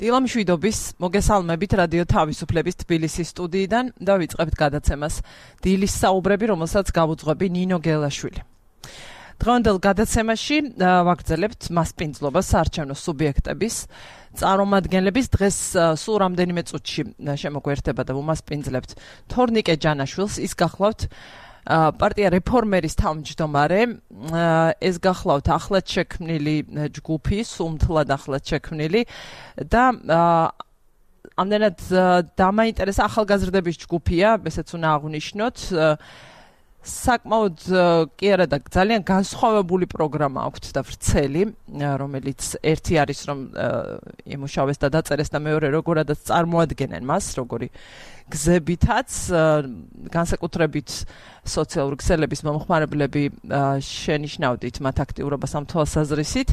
დილა მშვიდობის, მოგესალმებით რადიო თავისუფლების თბილისის სტუდიიდან და ვიწყებთ გადაცემას დილის საუბრები, რომელსაც გავუძღვები ნინო გელაშვილი. დღევანდელ გადაცემაში ვაგრძელებთ მასპინძლობას საარჩევნო სუბიექტების წარმომადგენლების დღეს სულ რამდენიმე წუთში შემოგვერთება და ვუმასპინძლებთ თორნიკე ჯანაშვილს. ის გახლავთ პარტია რეფორმერის თავმჯდომარე, ეს გახლავთ ახლად შექმნილი ჯგუფი, სუმთლად ახლად შექმნილი და ამდენად დამაინტერესა ახალგაზრდების ჯგუფია, ესეც უნდა აღვნიშნოთ. საკმაოდ კი არა და ძალიან განსხვავებული პროგრამა აქვთ და ვრცელი, რომელიც ერთი არის რომ იმუშავეს და დაწერეს და მეორე როგორადაც წარმოადგენენ მას, როგორი გზებითაც, განსაკუთრებით სოციალური ქსელების მომხმარებლები შენიშნავდით მათ აქტიურობას ამ თვალსაზრისით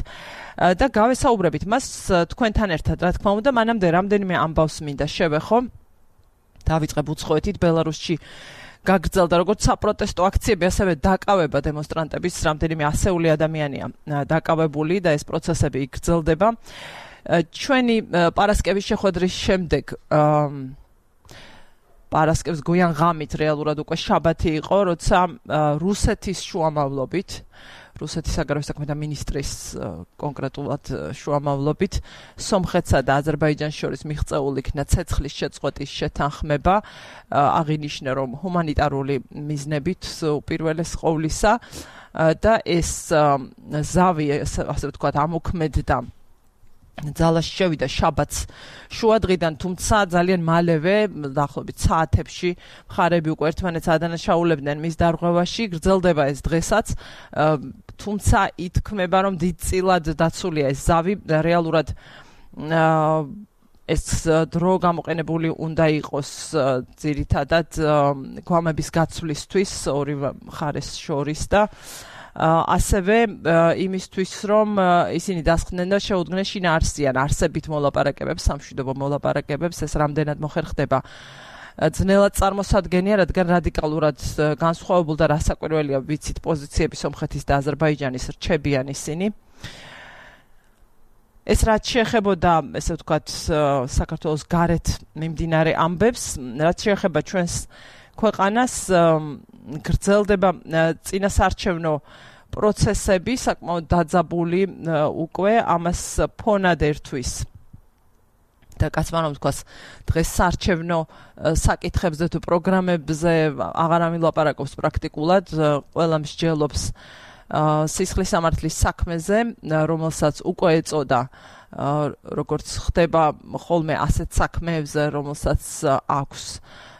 და გავესაუბრებით მას თქვენთან ერთად, რა თქმა უნდა, მანამდე რამდენიმე ამბავს მინდა შევეხო. დავიწყებ უცხოეთით, ბელარუსში გაგრძელდა როგორც საპროტესტო აქციები, ასევე დაკავება დემონსტრანტების რამდენიმე ასეული ადამიანია დაკავებული და ეს პროცესები იგრძელდება. ჩვენი პარასკევის შეხვედრის შემდეგ პარასკევს გვიან ღამით რეალურად უკვე შაბათი იყო, როცა რუსეთის შუამავლობით, რუსეთის საგარეო საქმეთა მინისტრის კონკრეტულად შუამავლობით სომხეთსა და აზერბაიჯანს შორის მიღწეულ იქნა ცეცხლის შეწყვეტის შეთანხმება, აღინიშნა რომ ჰუმანიტარული მიზნებით უპირველეს ყოვლისა და ეს ზავი, ასე ვთქვათ, ამოქმედდა ძალაში შევიდა შაბათს შუადღიდან, თუმცა ძალიან მალევე, დაახლოებით საათებში, მხარეები უკვე ერთმანეთს ადანაშაულებდნენ მის დარღვევაში, გრძელდება ეს დღესაც, თუმცა ითქმება, რომ დიდწილად დაცულია ეს ზავი, რეალურად ეს დრო გამოყენებული უნდა იყოს ძირითადად გვამების გაცვლისთვის ორივე მხარეს შორის და ასევე იმისთვის, რომ ისინი დასხდნენ და შეუდგნენ შინაარსიან არსებით მოლაპარაკებებს, სამშვიდობო მოლაპარაკებებს, ეს რამდენად მოხერხდება ძნელად წარმოსადგენია, რადგან რადიკალურად განსხვავებულ და რასაკვირველია ვიცით პოზიციები სომხეთის და აზერბაიჯანის რჩებიან ისინი. ეს რაც შეეხებოდა, ესე ვთქვათ, საქართველოს გარეთ მიმდინარე ამბებს, რაც შეეხება ჩვენს ქვეყანას, გრძელდება წინასაარჩევნო პროცესები, საკმაოდ დაძაბული უკვე, ამას ფონად ერთვის და კაცმა რომ ვთქვას, დღეს საარჩევნო საკითხებზე თუ პროგრამებზე აღარ ამილაპარაკობს პრაქტიკულად, ყველა მსჯელობს სისხლის სამართლის საქმეზე, რომელსაც უკვე ეწოდა, როგორც ხდება ხოლმე ასეთ საქმეებზე, რომელსაც აქვს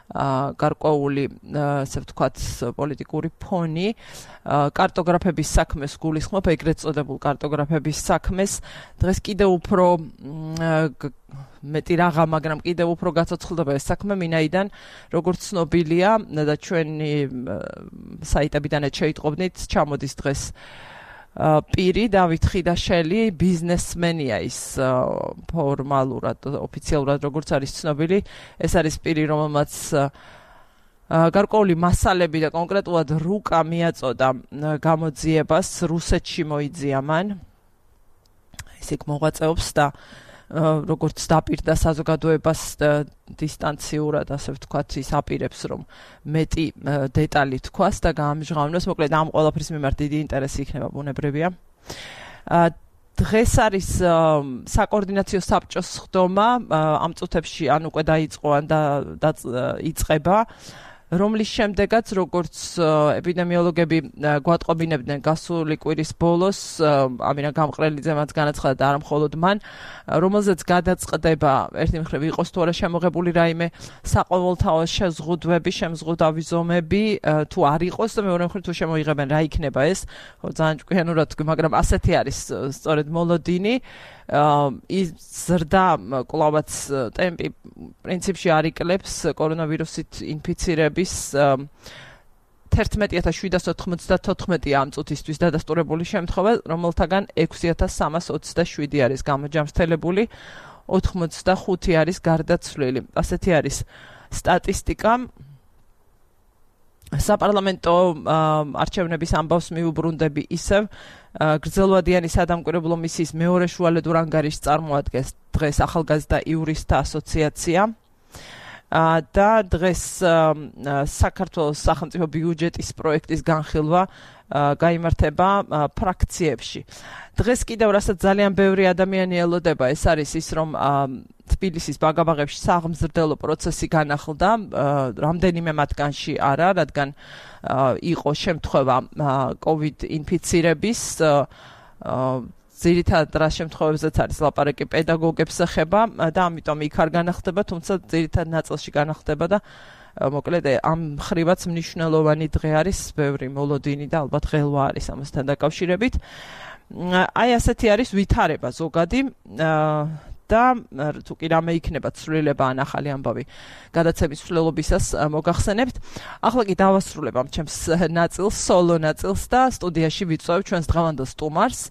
გარკვეული, ასე ვთქვათ, პოლიტიკური ფონი, კარტოგრაფების საქმეს გულისხმობ, ეგრეთ წოდებულ კარტოგრაფების საქმეს. დღეს კიდევ უფრო მეტი რაღა, მაგრამ კიდევ უფრო გაცოცხლდება ეს საქმე, მინაიდან როგორც ცნობილია და ჩვენი საიტებიდანაც შეიტყობდით, ჩამოდის დღეს პირი დავით ხიდაშელი, ბიზნესმენია ის ფორმალურად, ოფიციალურად როგორც არის ცნობილი, ეს არის პირი, რომელმაც გარკვეული მასალები და კონკრეტულად რუკა მიაწოდა გამოძიებას, რუსეთში მოიძია მან, ის იქ მოღვაწეობს და როგორც დაპირდა საზოგადოებას დისტანციურად, ასე ვთქვათ, ის აპირებს, რომ მეტი დეტალი თქვას და გაამჟღავნოს, მოკლედ ამ ყველაფრის მიმართ დიდი ინტერესი იქნება, ბუნებრივია. დღეს არის საკოორდინაციო საბჭოს ხდომა, ამ წუთებში ან უკვე დაიწყო, ან იწყება, რომლის შემდეგაც, როგორც ეპიდემიოლოგები გვატყობინებდნენ გასული კვირის ბოლოს, ამინა გამყრელიძე მას განაცხადა და არა მხოლოდ მან, რომელზეც გადაწყდება ერთი მხრივ იყოს თუ არა შემოღებული რაიმე საყოველთაო შეზღუდვები, შემზღუდავი ზომები, თუ არ იყოს და მეორე მხრივ თუ შემოიღებენ, რა იქნება ეს, ძალიან ჭკვიანურად, მაგრამ ასეთი არის სწორედ მოლოდინი. ის ზრდა კლავაც ტემპი პრინციპში არ იკლებს კორონავირუსით ინფიცირების 11794 ამ წუთისთვის დადასტურებული შემთხვევა, რომელთაგან 6327 არის გამოჯამრთელებული, 85 არის გარდაცვლილი. ასეთი არის სტატისტიკა. საპარლამენტო არჩევნების ამბავს მიუბრუნდები ისევ, გრძელვადიანი სადამკვირვებლო მისიის მეორე შუალედურ ანგარიშს წარმოადგენს დღეს ახალგაზრდა იურისტთა ასოციაცია და დღეს საქართველოს სახელმწიფო ბიუჯეტის პროექტის განხილვა გაიმართება ფრაქციებში. დღეს კიდევ რასაც ძალიან ბევრი ადამიანი ელოდება, ეს არის ის, რომ თბილისის ბაგაბაღებში საღმრძლო პროცესი განახლდა, რამდენიმე მათგანში არა, რადგან იყო შემთხვევა COVID ინფიცირების, ძირითადად რა შემთხვევებზეც არის ლაპარაკი პედაგოგებს ეხება და ამიტომ იქ არ განახლდება, თუმცა ძირითადად ნაწილში განახლდება და მოკლედ ამ ხრივაც მნიშვნელოვანი დღე არის, ბევრი მოლოდინი და ალბათ ღელვა არის ამასთან დაკავშირებით. აი ასეთი არის ვითარება ზოგადი და თუ კი რამე იქნება ცვლილება ან ახალი ამბავი გადაცემის მსვლელობისას მოგახსენებთ. ახლა კი დავასრულებ ამ ჩემს ნაწილს, სოლო ნაწილს და სტუდიაში ვიწვევ ჩვენს დღევანდელ სტუმარს,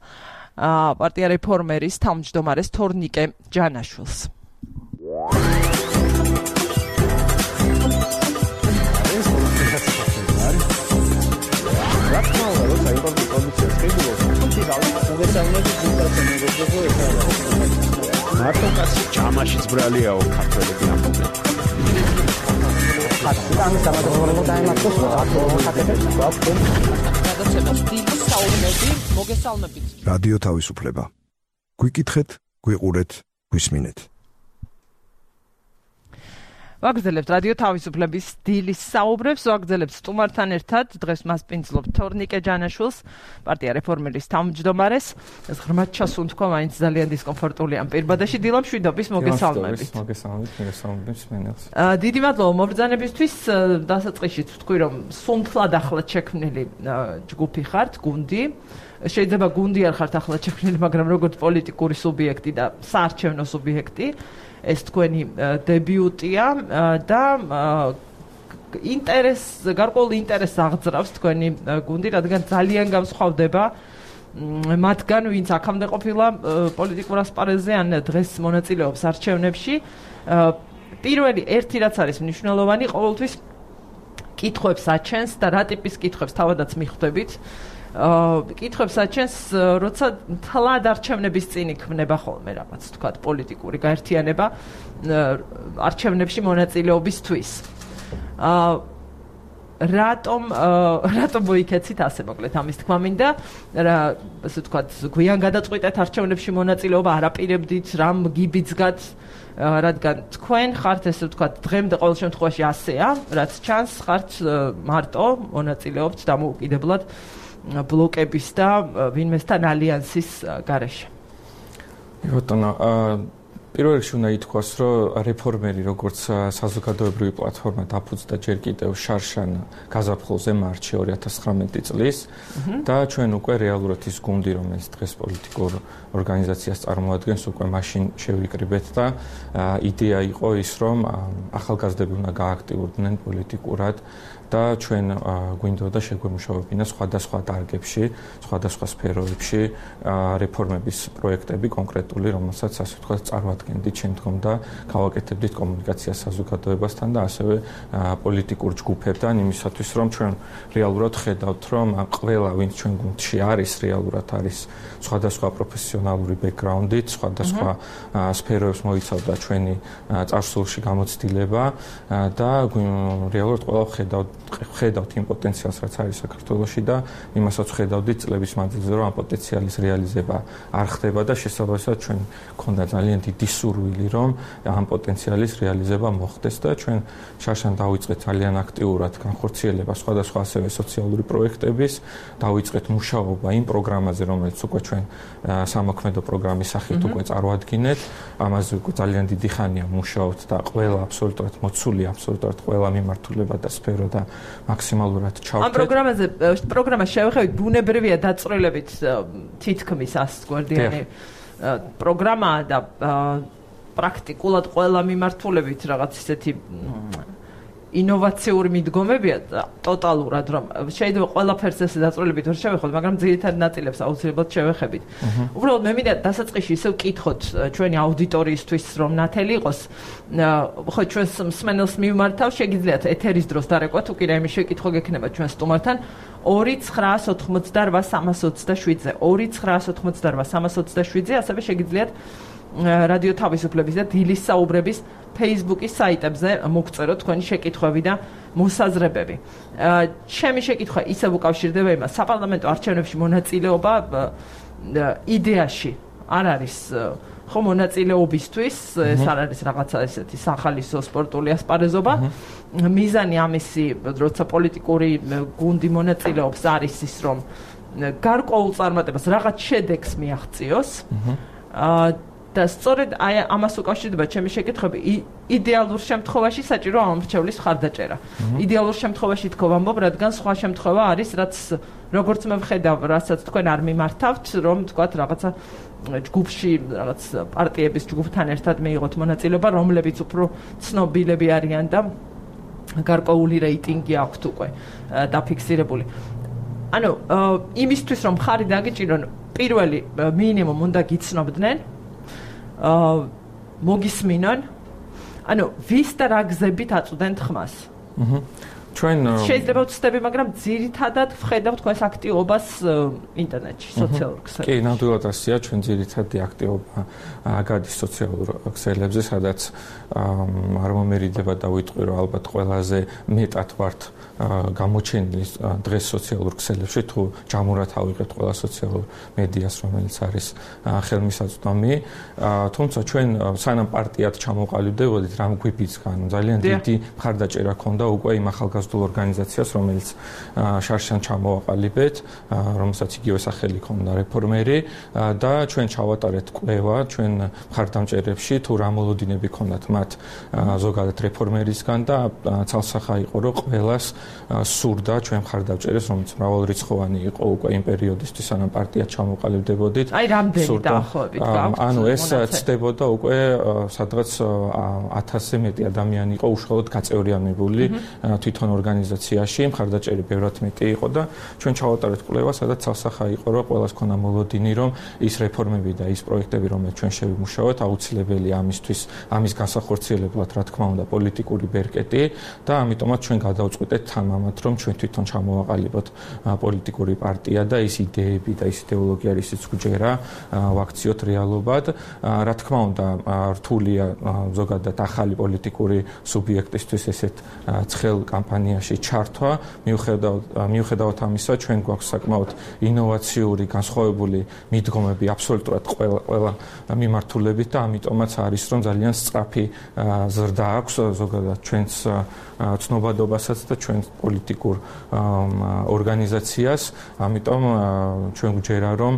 პარტია რეფორმერის თავმჯდომარეს თორნიკე ჯანაშვილს. მარტო კაცი ჯამაშიც ბრალიაო ქართველები ამბობენ. რადიო თავისუფლება. გვიკითხეთ, გვიყურეთ, გვისმინეთ. ვაგრძელებთ რადიო თავისუფლების დილის საუბრებს, ვაგრძელებთ სტუმართან ერთად, დღეს მას პინძლობ თორნიკე ჯანაშვილს, პარტია რეფორმერის თავმჯდომარეს. ეს ღრმად ჩასუნთქვა, მაინც ძალიან დისკომფორტულია ამ პირბადაში. დილა მშვიდობის, მოგესალმებით. მოგესალმებით, მენელს. დიდი მადლობა მობრძანებისთვის. დასაწყისში თქვი, რომ სუნთლად ახლად შექმნილი ჯგუფი ხართ, გუნდი. შეიძლება გუნდი არ ხართ ახლად შექმნილი, მაგრამ როგორც პოლიტიკური სუბიექტი და საარჩევნო სუბიექტი. ეს თქვენი დებიუტია და გარკვეულ ინტერესს აღძრავს თქვენი გუნდი, რადგან ძალიან განსხვავდება მათგან, ვინც აქამდე ყოფილა პოლიტიკურ ასპარეზზე ან დღეს მონაწილეობს არჩევნებში. პირველი ერთი რაც არის მნიშვნელოვანი, ყოველთვის კითხვებს აჩენს და რა ტიპის კითხვებს თავადაც მიხვდებით. კითხვებს აჩენს, როცა თლად არჩევნების წინ იქმნება ხოლმე რაღაც თქვათ პოლიტიკური გაერთიანება არჩევნებში მონაწილეობისთვის. რატომ მოიქეცით ასე მოკლედ ამის თქმა მინდა, ასე თქვათ გვიან გადაწყვიტეთ არჩევნებში მონაწილეობა, არაპირებდით, რამ გიბიძგათ, რადგან თქვენ ხართ ესე ვთქვათ დღემდე ყოველ შემთხვევაში ასეა, რაც ჩანს, ხართ მარტო მონაწილეობთ დამოუკიდებლად ბლოკების და ვინმესთან ალიანსის გარეშე. ბატონო, პირველ რიგში უნდა ითქვას, რომ რეფორმერი როგორც საზოგადოებრივი პლატფორმა დაფუძნდა ჯერ კიდევ შარშან გაზაფხულზე მარტში 2019 წლის და ჩვენ უკვე რეალურად ის გუნდი, რომელიც დღეს პოლიტიკურ ორგანიზაციას წარმოადგენს, უკვე მაშინ შევიკრიბეთ და იდეა იყო ის, რომ ახალგაზრდები უნდა გააქტიურდნენ პოლიტიკურად და ჩვენ გვინდოდა შეგვემუშავებინა სხვადასხვა დარგებში, სხვადასხვა სფეროებში რეფორმების პროექტები კონკრეტული, რომელსაც ასე ვთქვათ წარმოადგენდით შემდგომ და გავაკეთებდით კომუნიკაციას საზოგადოებასთან და ასევე პოლიტიკურ ჯგუფებთან იმისათვის, რომ ჩვენ რეალურად ხედავთ, რომ ყველა ვინც ჩვენ გუნდში არის, რეალურად არის სხვადასხვა პროფესიონალური ბექგრაუნდით, სხვადასხვა სფეროებს მოიცავდა ჩვენი წარსულში გამოცდილება და რეალურად ყველა ხედავთ იმ პოტენციალს, რაც არის საქართველოში და იმასაც ხედავდით წლების მანძილზე, რომ ამ პოტენციალის რეალიზება არ ხდება და შესაბამისად ჩვენ გქონდა ძალიან დიდი სურვილი, რომ ამ პოტენციალის რეალიზება მოხდეს და ჩვენ შარშან დავიწყეთ ძალიან აქტიურად განხორციელება სხვადასხვა ასევე სოციალური პროექტების, დავიწყეთ მუშაობა იმ პროგრამაზე, რომელიც უკვე ჩვენ სამოქმედო პროგრამის სახით უკვე წარმოადგინეთ. ამაზე უკვე ძალიან დიდი ხანია მუშაობთ და ყველა აბსოლუტურად მოცულია, აბსოლუტურად ყველა მიმართულება და სფერო და მაქსიმალურად ჩავთვალეთ. ამ პროგრამას შევხედეთ, ბუნებრივია დაწვრილებით თითქმის 100 გვერდიანი პროგრამაა და პრაქტიკულად ყველა მიმართულებით რაღაც ისეთი ინოვაციური მიდგომებია ტოტალურად, რომ შეიძლება ყველაფერს ესე დაწვრილებით ვერ შევეხოთ, მაგრამ ძირითად ნაწილებს აუცილებლად შევეხებით. უბრალოდ მე მინდა დასაწყისში ისევ ვკითხოთ ჩვენი აუდიტორიისთვის, რომ ნათელი იყოს, ხო ჩვენს მსმენელს მივმართავ, შეგიძლიათ ეთერის დროს დარეკვა, თუ კი რაიმე შეკითხვა გექნება ჩვენ სტუმართან 2988327-ზე 2988327-ზე ასევე შეგიძლიათ რადიო თავისუფლების და დილის საუბრების Facebook-ის საიტებზე მოგწეროთ თქვენი შეკითხვები და მოსაზრებები. ჩემი შეკითხვა ისევ უკავშირდება იმას, საპარლამენტო არჩევნებში მონაწილეობა იდეაში არ არის ხო მონაწილეობისთვის, ეს არ არის რაღაცა ესეთი სახალისო სპორტული ასპარეზობა. მიზანი ამისი, როცა პოლიტიკური გუნდი მონაწილეობს, არის ის, რომ გარკვეულ წარმატებას რაღაც შედეგს მიაღწიოს. და სწორედ აი ამას უკავშირდება ჩემი შეკითხვები. იდეალურ შემთხვევაში საჭირო ამომრჩევლის მხარდაჭერა. იდეალურ შემთხვევაში თქო ვამბობ, რადგან სხვა შემთხვევა არის, რაც როგორც მე ვხედავ, რასაც თქვენ არ მიმართავთ, რომ თქვათ რაღაცა ჯგუფში, რაღაც პარტიების ჯგუფთან ერთად მიიღოთ მონაწილეობა, რომლებიც უფრო ცნობილები არიან და გარკვეული რეიტინგი აქვთ უკვე დაფიქსირებული. ანუ იმისთვის რომ მხარი დაგიჭირონ, პირველი მინიმუმ უნდა გიცნობდნენ მოგისმინონ, ანუ ვის და რა გზებით აწვდენთ ხმას. ჩვენ შეიძლება ვცდები, მაგრამ ძირითადად ვხედავ თქვენს აქტივობას ინტერნეტში, სოციალურ ქსელებში. კი, ნამდვილად ასეა, ჩვენ ძირითადი აქტივობა გადის სოციალურ ქსელებზე, სადაც არ მომერიდება და ვიტყვი, რომ ალბათ ყველაზე მეტად ვართ გამოჩენილი დღეს სოციალურ ქსელებში, თუ ჯამურად ავიღეთ ყველა სოციალურ მედიას, რომელიც არის ხელმისაწვდომი. თუმცა ჩვენ სანამ პარტიად ჩამოყალიბდებოდით, რამ გვიბიძგან, ძალიან დიდი მხარდაჭერა ჰქონდა უკვე იმ ახალგაზრდულ ორგანიზაციას, რომელიც შარშან ჩამოვაყალიბეთ, რომელსაც იგივე სახელი ჰქონდა რეფორმერი და ჩვენ ჩავატარეთ კვლევა ჩვენ მხარდამჭერებში, თუ რა მოლოდინები ჰქონდათ მათ ზოგადად რეფორმერისგან და ცალსახა იყო, რომ ყველას სურდა ჩვენ მხარდამჭერებს, რომელიც მრავალრიცხოვანი იყო უკვე იმ პერიოდისთვის, სანამ პარტია ჩამოყალიბდებოდით. აი რამდენი დაახლოებით გაქვთ? ანუ ეს ცდებოდა უკვე სადღაც 1000-ზე მეტი ადამიანი იყო უშუალოდ გაწევრიანებული თვითონ ორგანიზაციაში, მხარდაჭერი ბევრად მეტი იყო და ჩვენ ჩავატარეთ კვლევა, სადაც ცალსახა იყო, რომ ყველას ქონა მოლოდინი, რომ ის რეფორმები და ის პროექტები, რომელსაც ჩვენ შევიმუშავოთ, აუცილებელია ამის განსახორციელებლად, რა თქმა უნდა, პოლიტიკური ბერკეტი და ამიტომაც ჩვენ გადავწყვიტეთ თამამად, რომ ჩვენ თვითონ ჩამოვაყალიბოთ პოლიტიკური პარტია და ის იდეები და ის იდეოლოგია, ისიც გვჯერა, ვაქციოთ რეალობად. რა თქმა უნდა, რთულია ზოგადად ახალი პოლიტიკური სუბიექტისთვის ესეთ ცხელ კამპანიაში ჩართვა, მიუხედავად ამისა, ჩვენ გვაქვს საკმაოდ ინოვაციური, განსხვავებული მიდგომები აბსოლუტურად ყველა მიმართულებით და ამიტომაც არის, რომ ძალიან სწრაფი ზრდა აქვს ზოგადად ჩვენს ცნობადობასაც და ჩვენ პოლიტიკურ ორგანიზაციას, ამიტომ ჩვენ გვჯერა, რომ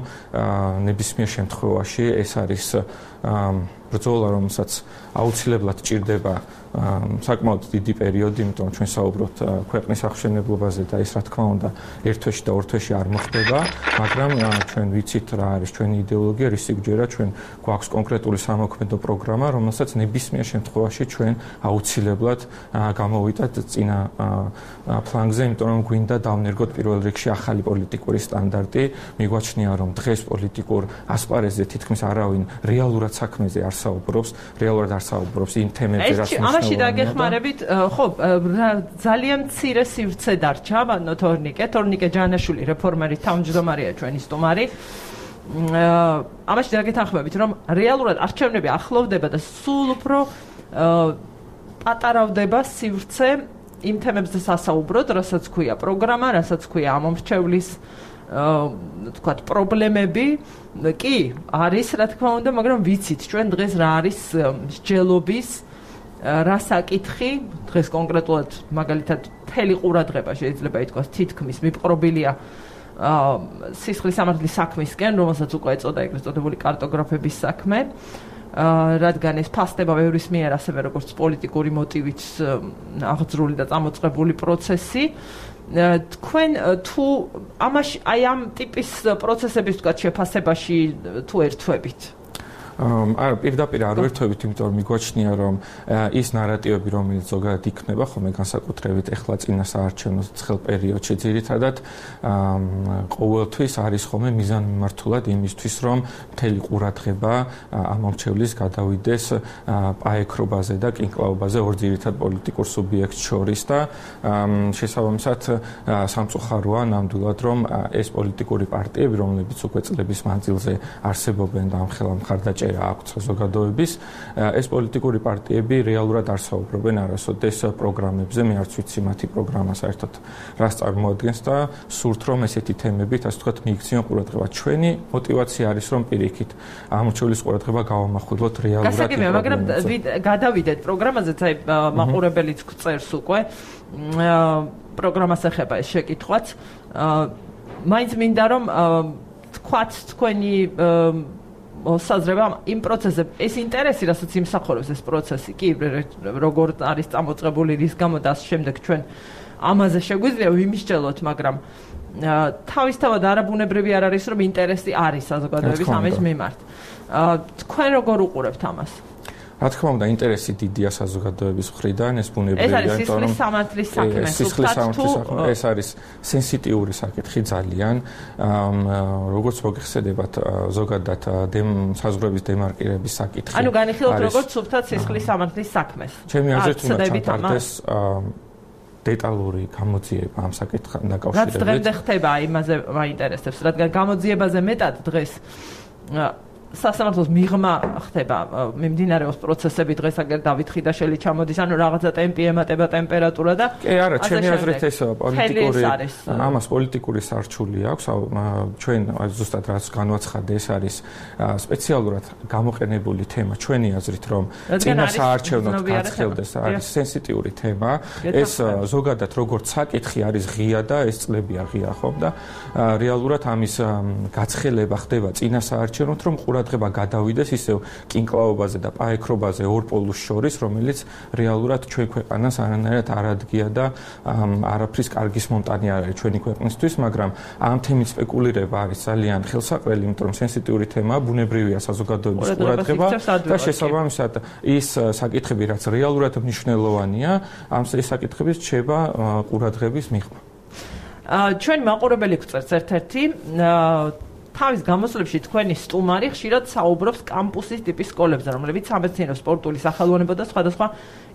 ნებისმიერ შემთხვევაში ეს არის ბრძოლა, რომელსაც აუცილებლად ჭირდება საკმაოდ დიდი პერიოდი, იმიტომ რომ ჩვენ საუბრობთ ქვეყნის აღშენებლობაზე და ეს რა თქმა უნდა ერთ თვეში და ორ თვეში არ მოხდება, მაგრამ ჩვენ ვიცით რა არის ჩვენი იდეოლოგია, რის სიგრძეა ჩვენ გვაქვს კონკრეტული სამოქმედო პროგრამა, რომელსაც ნებისმიერ შემთხვევაში ჩვენ აუცილებლად გამოვიდეთ წინა ფლანგზე, იმიტომ რომ გვინდა დავნერგოთ პირველ რიგში ახალი პოლიტიკური სტანდარტი. მიგვაჩნია, რომ დღეს პოლიტიკურ ასპარეზზე თითქმის არავინ რეალურად საქმეზე არ საუბრობს, რეალურად არ საუბრობს იმ თემებზე, რაც ამაში დაგეხმარებით, ხო, ძალიან მცირე სივრცე დარჩა, ბატონო თორნიკე ჯანაშვილი, რეფორმერი თავმჯდომარეა ჩვენი სტუმარი. ამაში დაგეთანხმებით, რომ რეალურად არჩევნები ახლოვდება და სულ უფრო პატარავდება სივრცე იმ თემებზე სასაუბროდ, რასაც ქვია პროგრამა, რასაც ქვია ამომრჩევლის თქვათ პრობლემები. კი, არის რა თქმა უნდა, მაგრამ ვიცით ჩვენ დღეს რა არის მსჯელობის რა საკითხი, დღეს კონკრეტულად მაგალითად მთელი ყურადღება შეიძლება ითქვას თითქმის მიპყრობილია სისხლის სამართლის საქმისკენ, რომელსაც უკვე ეწოდა ეგრეთ წოდებული კარტოგრაფების საქმე, რადგან ეს ფასდება ბევრის მიერ ასევე როგორც პოლიტიკური მოტივით აღძრული და წამოწყებული პროცესი. თქვენ თუ ამაში აი ამ ტიპის პროცესების თქვათ შეფასებაში თუ ერთვებით? არა, პირდაპირ არ ვერთვებით, იმიტომ რომ მიგვაჩნია, რომ ის ნარატივები, რომელიც ზოგადად იქნება, ხომ განსაკუთრებით ეხლა წინა საარჩევნო ცხელ პერიოდში ძირითადად ყოველთვის არის ხოლმე მიზანმიმართულად იმისთვის, რომ მთელი ყურადღება ამომრჩევლის გადავიდეს პაექრობაზე და კინკლაობაზე ორ ძირითად პოლიტიკურ სუბიექტს შორის და შესაბამისად სამწუხაროა ნამდვილად, რომ ეს პოლიტიკური პარტიები, რომლებიც უკვე წლების მანძილზე არსებობენ და ამხელა მხარდაჭერა აქვს საზოგადოების, ეს პოლიტიკური პარტიები რეალურად არ საუბრობენ არასოდეს პროგრამებზე, მე არც ვიცი მათი პროგრამა საერთოდ რას წარმოადგენს და სურთ რომ ესეთი თემებით, ასე ვთქვათ, მიიქციონ ყურადღება. ჩვენი мотиваცია არის რომ პირიქით ამორჩევლის ყურადღება გავამახვილოთ რეალურად. გასაგებია, მაგრამ გადავიდეთ პროგრამაზეც, აი მაყურებელიც გწერს უკვე პროგრამას ეხება ეს შეკითხვაც. მაინც მინდა რომ თქვათ თქვენი საზრება იმ პროცესზე, ეს ინტერესი, რასაც იმსახურებს ეს პროცესი, კი, როგორ არის წამოწყებული, რის გამო და შემდეგ ჩვენ ამაზე შეგვიძლია ვიმისჯელოთ, მაგრამ თავისთავად არაბუნებრივი არ არის, რომ ინტერესი არის საზოგადოების ამის მიმართ. თქვენ როგორ უყურებთ ამას? რა თქმა უნდა, ინტერესი დიდია საზოგადოების მხრიდან, ეს ბუნებრივია, იმიტომ რომ სამართლის საქმე, ეს არის სენსიტიური საკითხი ძალიან. როგორც მოგეხსენებათ, ზოგადად საზღვრების დემარკირების საკითხი. ანუ განიხილოთ როგორც სუფთად სისხლის სამართლის საქმეს. ჩემი აზრით უნდა ჩატარდეს დეტალური გამოძიება ამ საკითხთან დაკავშირებით. რაც დღემდე ხდება, იმაზე მაინტერესებს, რადგან გამოძიებაზე მეტად დღეს სასამართლოს მიღმა ხდება, მიმდინარეობს პროცესები დღეს აგერ დავით ხიდაშელი ჩამოდის, ანუ რაღაცა ტემპი ემატება ტემპერატურა და კი არა, ჩემი აზრით ეს პოლიტიკური ამას პოლიტიკური სარჩული აქვს, ჩვენ ზუსტად რაც განვაცხადე, ეს არის სპეციალურად გამოყენებული თემა ჩვენი აზრით, რომ წინა საარჩევნოდ გაცხელდეს, არის სენსიტიური თემა, ეს ზოგადად როგორც საკითხი არის ღია და ეს წლებია ღია ხომ და რეალურად ამის გაცხელება ხდება წინა საარჩევნოდ, რომ ყურადღება გადავიდეს ისევ კინკლაობაზე და პაექრობაზე ორ პოლუს შორის, რომელიც რეალურად ჩვენ ქვეყანას არანაირად არ ადგია და არაფრის კარგის მომტანი არ არის ჩვენი ქვეყნისთვის, მაგრამ ამ თემით სპეკულირება არის ძალიან ხელსაყრელი, იმიტომ რომ სენსიტიური თემაა, ბუნებრივია საზოგადოების ყურადღება და შესაბამისად ის საკითხები, რაც რეალურად მნიშვნელოვანია, ამ საკითხების რჩება ყურადღების მიღმა. ჩვენ მაყურებელი გვწერს ერთ-ერთი თავის გამოსვლებში თქვენი სტუმარი ხშირად საუბრობს კამპუსის ტიპის სკოლებზე, რომლებიც სამეცნიერო, სპორტული, სახელოვნებო და სხვადასხვა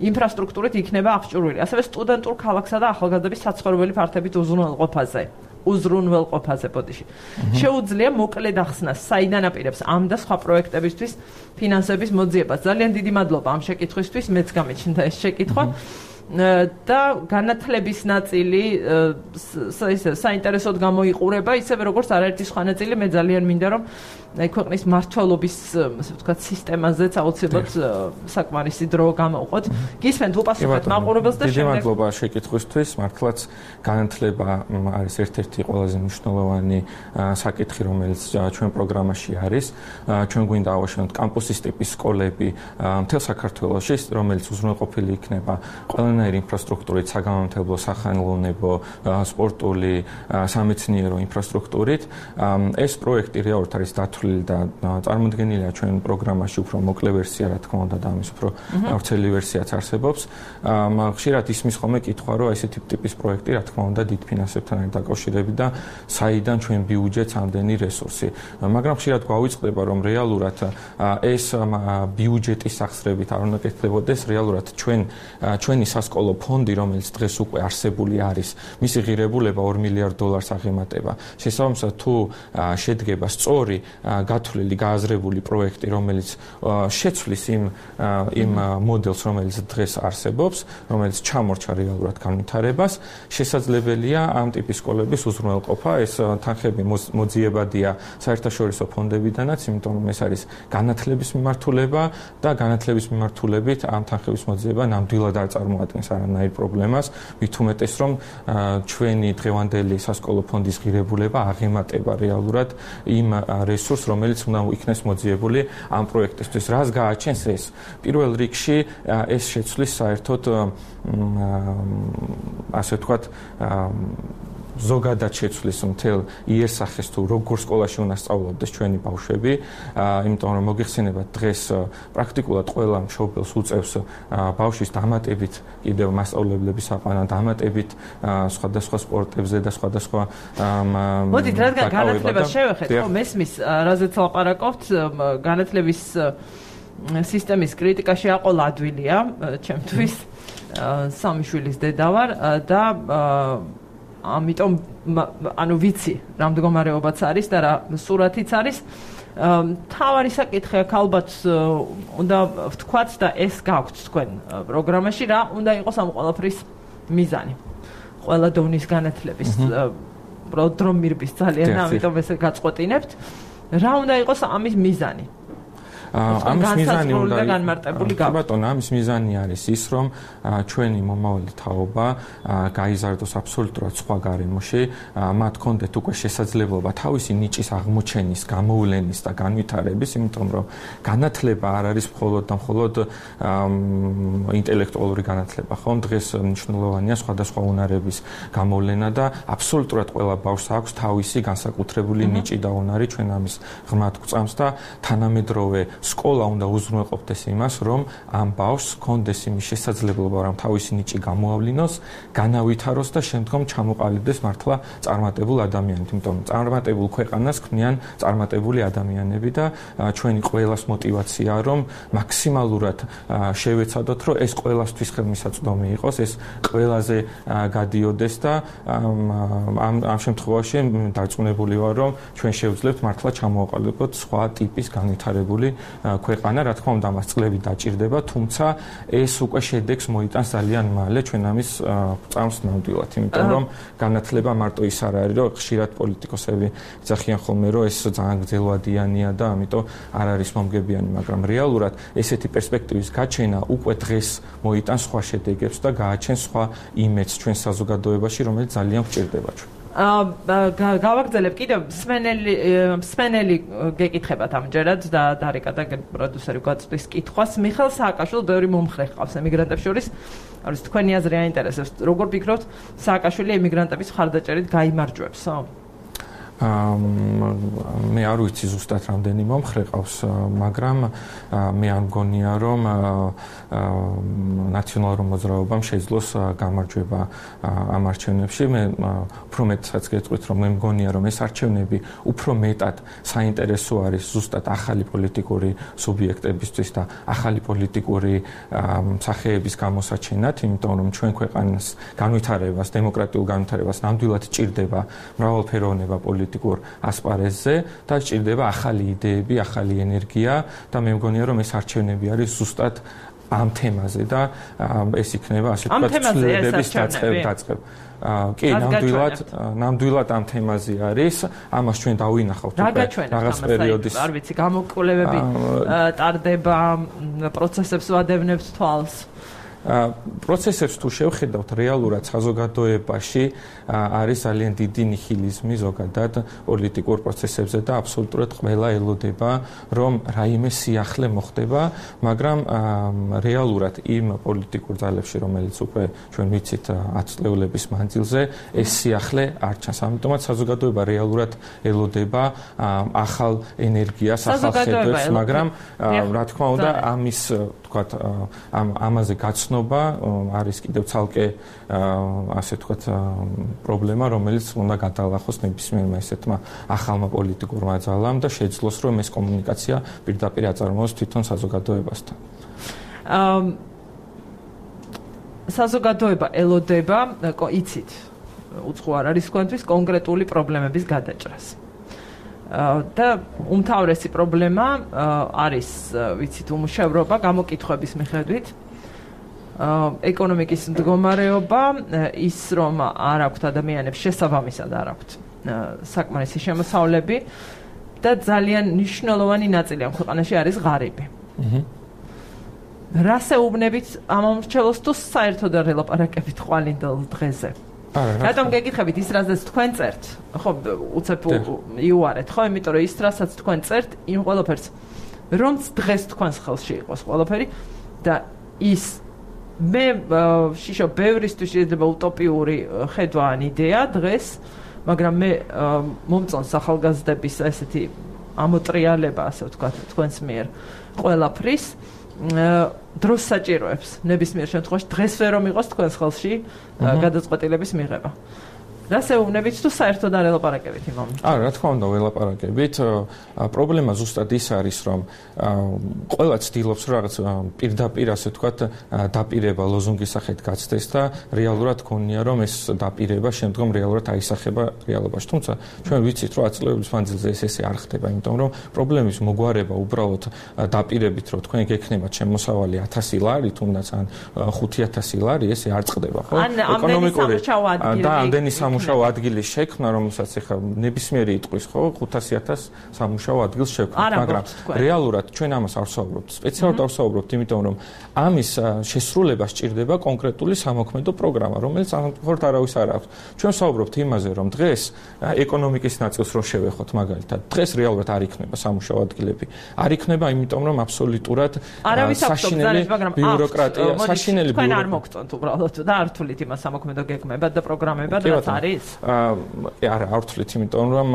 ინფრასტრუქტურით იქნება აღჭურვილი. ასევე სტუდენტურ ქალაქსა და ახალგაზრდების საცხოვრებელი ფართებით უზრუნველყოფაზე, ბოდიში. შეუძლია მოკლედ ახსნას, საიდან აპირებს ამ და სხვა პროექტებისთვის ფინანსების მოძიებას. ძალიან დიდი მადლობა ამ შეკითხვისთვის, მეც გამიჩნდა ეს შეკითხვა. და განათლების ნაწილი საინტერესოდ გამოიყურება, ისევე როგორც არაერთი სხვა ნაწილი, მე ძალიან მინდა რომ ქვეყნის მართლობის, ასე ვთქვათ, სისტემაზეც აუცილებლად საკმარისი დრო გამოვყოთ. გისმენთ უპასუხეთ მაყურებელს და დიდი მადლობა შეკითხვისთვის. მართლაც განათლება არის ერთ-ერთი ყველაზე მნიშვნელოვანი საკითხი, რომელიც ჩვენ პროგრამაში არის. ჩვენ გვინდა ავაშენოთ კამპუსის ტიპის სკოლები მთელ საქართველოში, რომელიც უზრუნველყოფილი იქნება ყველანაირი ინფრასტრუქტურით, საგამომთებლო, სახელოვნებო, სპორტული, სამეცნიერო ინფრასტრუქტურით. ეს პროექტი რეალურად არის დათვლილი და წარმოდგენილია ჩვენ პროგრამაში უფრო მოკლე ვერსია, რა თქმა უნდა, და ამის უფრო ვრცელი ვერსიაც არსებობს. ხშირად ისმის ხოლმე კითხვა, რომ ესეთი ტიპის პროექტი, რა თქმა უნდა, დიდ ფინანსებთან არის დაკავშირებული და საიდან ჩვენ ბიუჯეტს ამდენი რესურსი. მაგრამ ხშირად გვავიწყდება, რომ რეალურად ეს ბიუჯეტის სახსრებით არ უნდა კეთდებოდეს, რეალურად ჩვენი სასკოლო ფონდი, რომელიც დღეს უკვე არსებული არის, მისი ღირებულება $2 მილიარდ აღემატება. შესაბამისად, თუ შედგება სწორი გათვლილი, გააზრებული პროექტი, რომელიც შეცვლის იმ მოდელს, რომელიც დღეს არსებობს, რომელიც ჩამორჩა რეალურად განვითარებას, შესაძლებელია ამ ტიპის სკოლების უზრუნველყოფა. ეს თანხები მოძიებადია საერთაშორისო ფონდებიდანაც, იმიტომ რომ ეს არის განათლების მიმართულება და განათლების მიმართულებით ამ თანხების მოძიება ნამდვილად არ წარმოადგენს არანაირ პრობლემას, მით უმეტეს რომ ჩვენი დღევანდელი სასკოლო ფონდის ღირებულება აღემატება რეალურად იმ რესურსს, რომელიც უნდა იქნეს მოძიებული ამ პროექტისთვის. რას გააჩენს ეს? პირველ რიგში ეს შეცვლის საერთოდ ასე ვთქვათ ზოგადად შეცვლის მთელ იერსახეს თუ როგორ სკოლაში უნდა სწავლობდეს ჩვენი ბავშვები, იმიტომ რომ მოგიხსენებათ დღეს პრაქტიკულად ყველა მშობელს უწევს ბავშვის დამატებით კიდევ მასწავლებლების აყვანა, დამატებით სხვადასხვა სპორტებზე და სხვადასხვა მოდით, რადგან განათლებას შევეხეთ, ხო, მესმის, რაზეც ლაპარაკობთ, განათლების სისტემის კრიტიკაში აყოლა ადვილია, ჩემთვის სამი შვილის დედა ვარ და ამიტომ ანუ ვიცი რა მდგომარეობაც არის და რა სურათიც არის. თავარი საკითხი აქ ალბათ უნდა ვთქვათ და ეს გაქვთ თქვენ პროგრამაში, რა უნდა იყოს ამ ყველაფრის მიზანი. ყველა დონის განათლების რომ მირბის ძალიან, ამიტომ ესე გაწყვეტინებთ. რა უნდა იყოს ამის მიზანი? ამის მიზანი უნდა განმარტებული გაქვთ. ბატონო, ამის მიზანი არის ის, რომ ჩვენი მომავალი თაობა გაიზარდოს აბსოლუტურად სხვა გარემოში, მათ კონდეთ უკვე შესაძლებლობა თავისი ნიჭის აღმოჩენის, გამოვლენის და განვითარების, იმიტომ რომ განათლება არ არის მხოლოდ და მხოლოდ ინტელექტუალური განათლება, ხო? დღეს მნიშვნელოვანია სხვადასხვა უნარების გამოვლენა და აბსოლუტურად ყველა ბავშვს აქვს თავისი განსაკუთრებული ნიჭი და უნარი, ჩვენ ამის ღრმად გვწამს და თანამედროვე სკოლა უნდა უზრუნველყოფდეს იმას, რომ ამ ბავშვს ჰქონდეს იმის შესაძლებლობა, რომ თავისი ნიჭი გამოავლინოს, განავითაროს და შემდგომ ჩამოყალიბდეს მართლა წარმატებულ ადამიანად. იმიტომ რომ წარმატებულ ქვეყანას ქმნიან წარმატებული ადამიანები და ჩვენი ყველას мотиваცია, რომ მაქსიმალურად შევეცადოთ, რომ ეს ყველასთვის ხელმისაწვდომი იყოს, ეს ყველაზე გადიოდეს და ამ შემთხვევაში დარწმუნებული ვარ, რომ ჩვენ შევძლებთ მართლა ჩამოყალიბოთ სხვა ტიპის განვითარებული ქვეყანა, რა თქმა უნდა, მას წლები დაჭირდება, თუმცა ეს უკვე შედეგს მოიტანს ძალიან მალე ჩვენ ამის წამს ნამდვილად, იმიტომ რომ განათლება მარტო ის არ არის, რომ ხშირად პოლიტიკოსები ძახიან ხოლმე, რომ ეს ძალიან გრძელვადიანია და ამიტომ არ არის მომგებიანი, მაგრამ რეალურად ესეთი პერსპექტივის გაჩენა უკვე დღეს მოიტანს სხვა შედეგებს და გააჩენს სხვა იმედს ჩვენ საზოგადოებაში, რომელიც ძალიან გვჭირდება ჩვენ. გავაგრძელებ კიდევ მსმენელი გეკითხებათ ამჯერად და დარიკა და პროდიუსერი გვაწვდის კითხვას. მიხეილ სააკაშვილი ბევრი მომხრე ჰყავს ემიგრანტებს შორის. არის თქვენი აზრი აინტერესებს. როგორ ფიქრობთ, სააკაშვილი ემიგრანტების მხარდაჭერით გაიმარჯვებსო? მე არ ვიცი ზუსტად რამდენი მომხრე ყავს, მაგრამ მე არ მგონია, რომ ნაციონალურ მოძრაობამ შეძლოს გამარჯვება ამ არჩევნებში. მე უფრო მეტსაც გეტყვით, რომ მე მგონია, რომ ეს არჩევნები უფრო მეტად საინტერესო არის ზუსტად ახალი პოლიტიკური სუბიექტებისთვის და ახალი პოლიტიკური სახეების გამოსაჩენად, იმიტომ რომ ჩვენ ქვეყანას განვითარებას, დემოკრატიულ განვითარებას ნამდვილად ჭირდება მრავალფეროვნება პოლიტიკურ ასპარეზზე და ჭირდება ახალი იდეები, ახალი ენერგია და მე მგონია, რომ ეს არჩევნები არის ზუსტად ამ თემაზე და ეს იქნება ასე ვთქვათ ცვლილებების დაწყება. კი, ნამდვილად ამ თემაზე არის. ამას ჩვენ დავინახავთ რაღაც პერიოდის. არ ვიცი, გამოკვლევები ტარდება, პროცესებს ვადევნებთ თვალს. პროცესებს თუ შევხედავთ რეალურად საზოგადოებაში არის ძალიან დიდი ნიჰილიზმი ზოგადად პოლიტიკურ პროცესებზე და აბსოლუტურად ყველა ელოდება რომ რაიმე სიახლე მოხდება, მაგრამ რეალურად იმ პოლიტიკურ ძალებში, რომელიც უკვე ჩვენ ვიცით 10 წლების მანძილზე, ეს სიახლე არ ჩანს. ამიტომაც საზოგადოება რეალურად ელოდება ახალ ენერგიას, ახალ ხედვებს, მაგრამ რა თქმა უნდა ამის თქვათ ამაზე გაცნობა არის კიდევ ცალკე ასე ვთქვათ პრობლემა, რომელიც უნდა გადაალახოს ნებისმიერმა ესეთმა ახალმა პოლიტიკურმა ძალამ და შეძლოს, რომ ეს კომუნიკაცია პირდაპირ აწარმოოს თვითონ საზოგადოებასთან. საზოგადოება ელოდება, იცით, უცხო არ არის თქვენთვის კონკრეტული პრობლემების გადაჭრას. და უმთავრესი პრობლემა არის, ვიცით, უმუშევრობა გამოკითხვების მიხედვით. ეკონომიკის მდგომარეობა, ის რომ არ აქვთ ადამიანებს შესაბამისად არ აქვთ საკმარისი შემოსავლები და ძალიან მნიშვნელოვანი ნაწილი ამ ქვეყანაში არის ღარიბი. რას ეუბნებით ამ მომრჩევლს თუ საერთოდ არ ელაპარაკებით ყვალინდელ დღეზე? რატომ გეკითხებით ის რაზეც თქვენ წერთ? ხო, უცებ იუარეთ, ხო, იმიტომ რომ ის რასაც თქვენ წერთ, იმ ყველაფერს რომც დღეს თქვენს ხელში იყოს ყველაფერი და ის მე შიშო ბევრისთვის შეიძლება утоპიური ხედვა ან იდეა დღეს, მაგრამ მე მომწონს ახალგაზრდების ესეთი ამოტრიალება, ასე ვთქვათ, თქვენს მიერ ყველაფრის დროს საჭიროებს ნებისმიერ შემთხვევაში დღეს ვერ რომ იყოს თქვენს ხელში გადაწყვეტილების მიღება. რას ეუბნებით თუ საერთოდ არ ელაპარაკებით იმ მომენტში? რა თქმა უნდა, ველაპარაკებით. პრობლემა ზუსტად ის არის, რომ ყველა ცდილობს რაღაც პირდაპირ, ასე ვთქვათ, დაპირება ლოზუნგის სახით გაცდეს და რეალურად გქონია, რომ ეს დაპირება შემდგომ რეალურად აისახება რეალობაში. თუმცა ჩვენ ვიცით, რომ აწლეების მანძილზე ესე არ ხდება, იმიტომ რომ პრობლემის მოგვარება უბრალოდ დაპირებით, რომ თქვენ გექნებათ შემოსავალი 1000 ლარი, თუნდაც ან 5000 ლარი, ესე არ წყდება, ხო? ეკონომიკური და ამდენი სამუშაო ადგილის შექმნა, რომელსაც ეხლა ნებისმიერი იტყვის, ხო, 500,000 სამუშაო ადგილს შექმნა, მაგრამ რეალურად ჩვენ ამას არ ვსაუბრობთ. სპეციალურად არ ვსაუბრობთ, იმიტომ რომ ამის შესრულება სჭირდება კონკრეტული სამოქმედო პროგრამა, რომელიც ამხორთ არავის არ აქვს. ჩვენ ვსაუბრობთ იმაზე, რომ დღეს ეკონომიკის ნაწილს რო შევეხოთ, მაგალითად, დღეს რეალურად არ იქნება სამუშაო ადგილები. არ იქნება, იმიტომ რომ აბსოლუტურად საშინელი ბიუროკრატია, საშინელი ბიუროკრატია. არ მოგწონთ უბრალოდ და არ თulit იმას სამოქმედო გეგმებად და პროგრამებად, რაც არის? არა, არ ვთვლით, იმიტომ რომ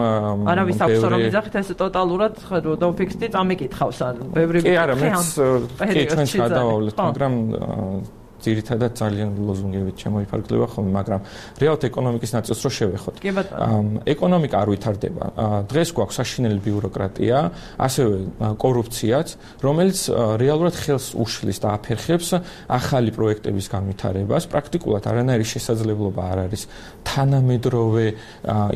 არავის აქვს რომ იძახით ეს ტოტალურად დაუფიქსდი წამიკითხავს ან ბევრი კი არა, მეც კი ჩვენც გადავავლეთ, მაგრამ ძირითადად ძალიან ლოზუნგებით შემოიფარგლება ხოლმე, მაგრამ რეალურად ეკონომიკის ნაწილს რო შევეხოთ. ეკონომიკა არ ვითარდება. დღეს გვაქვს საშინელი ბიუროკრატია, ასევე კორუფციაც, რომელიც რეალურად ხელს უშლის და აფერხებს ახალი პროექტების განვითარებას. პრაქტიკულად არანაირი შესაძლებლობა არ არის თანამედროვე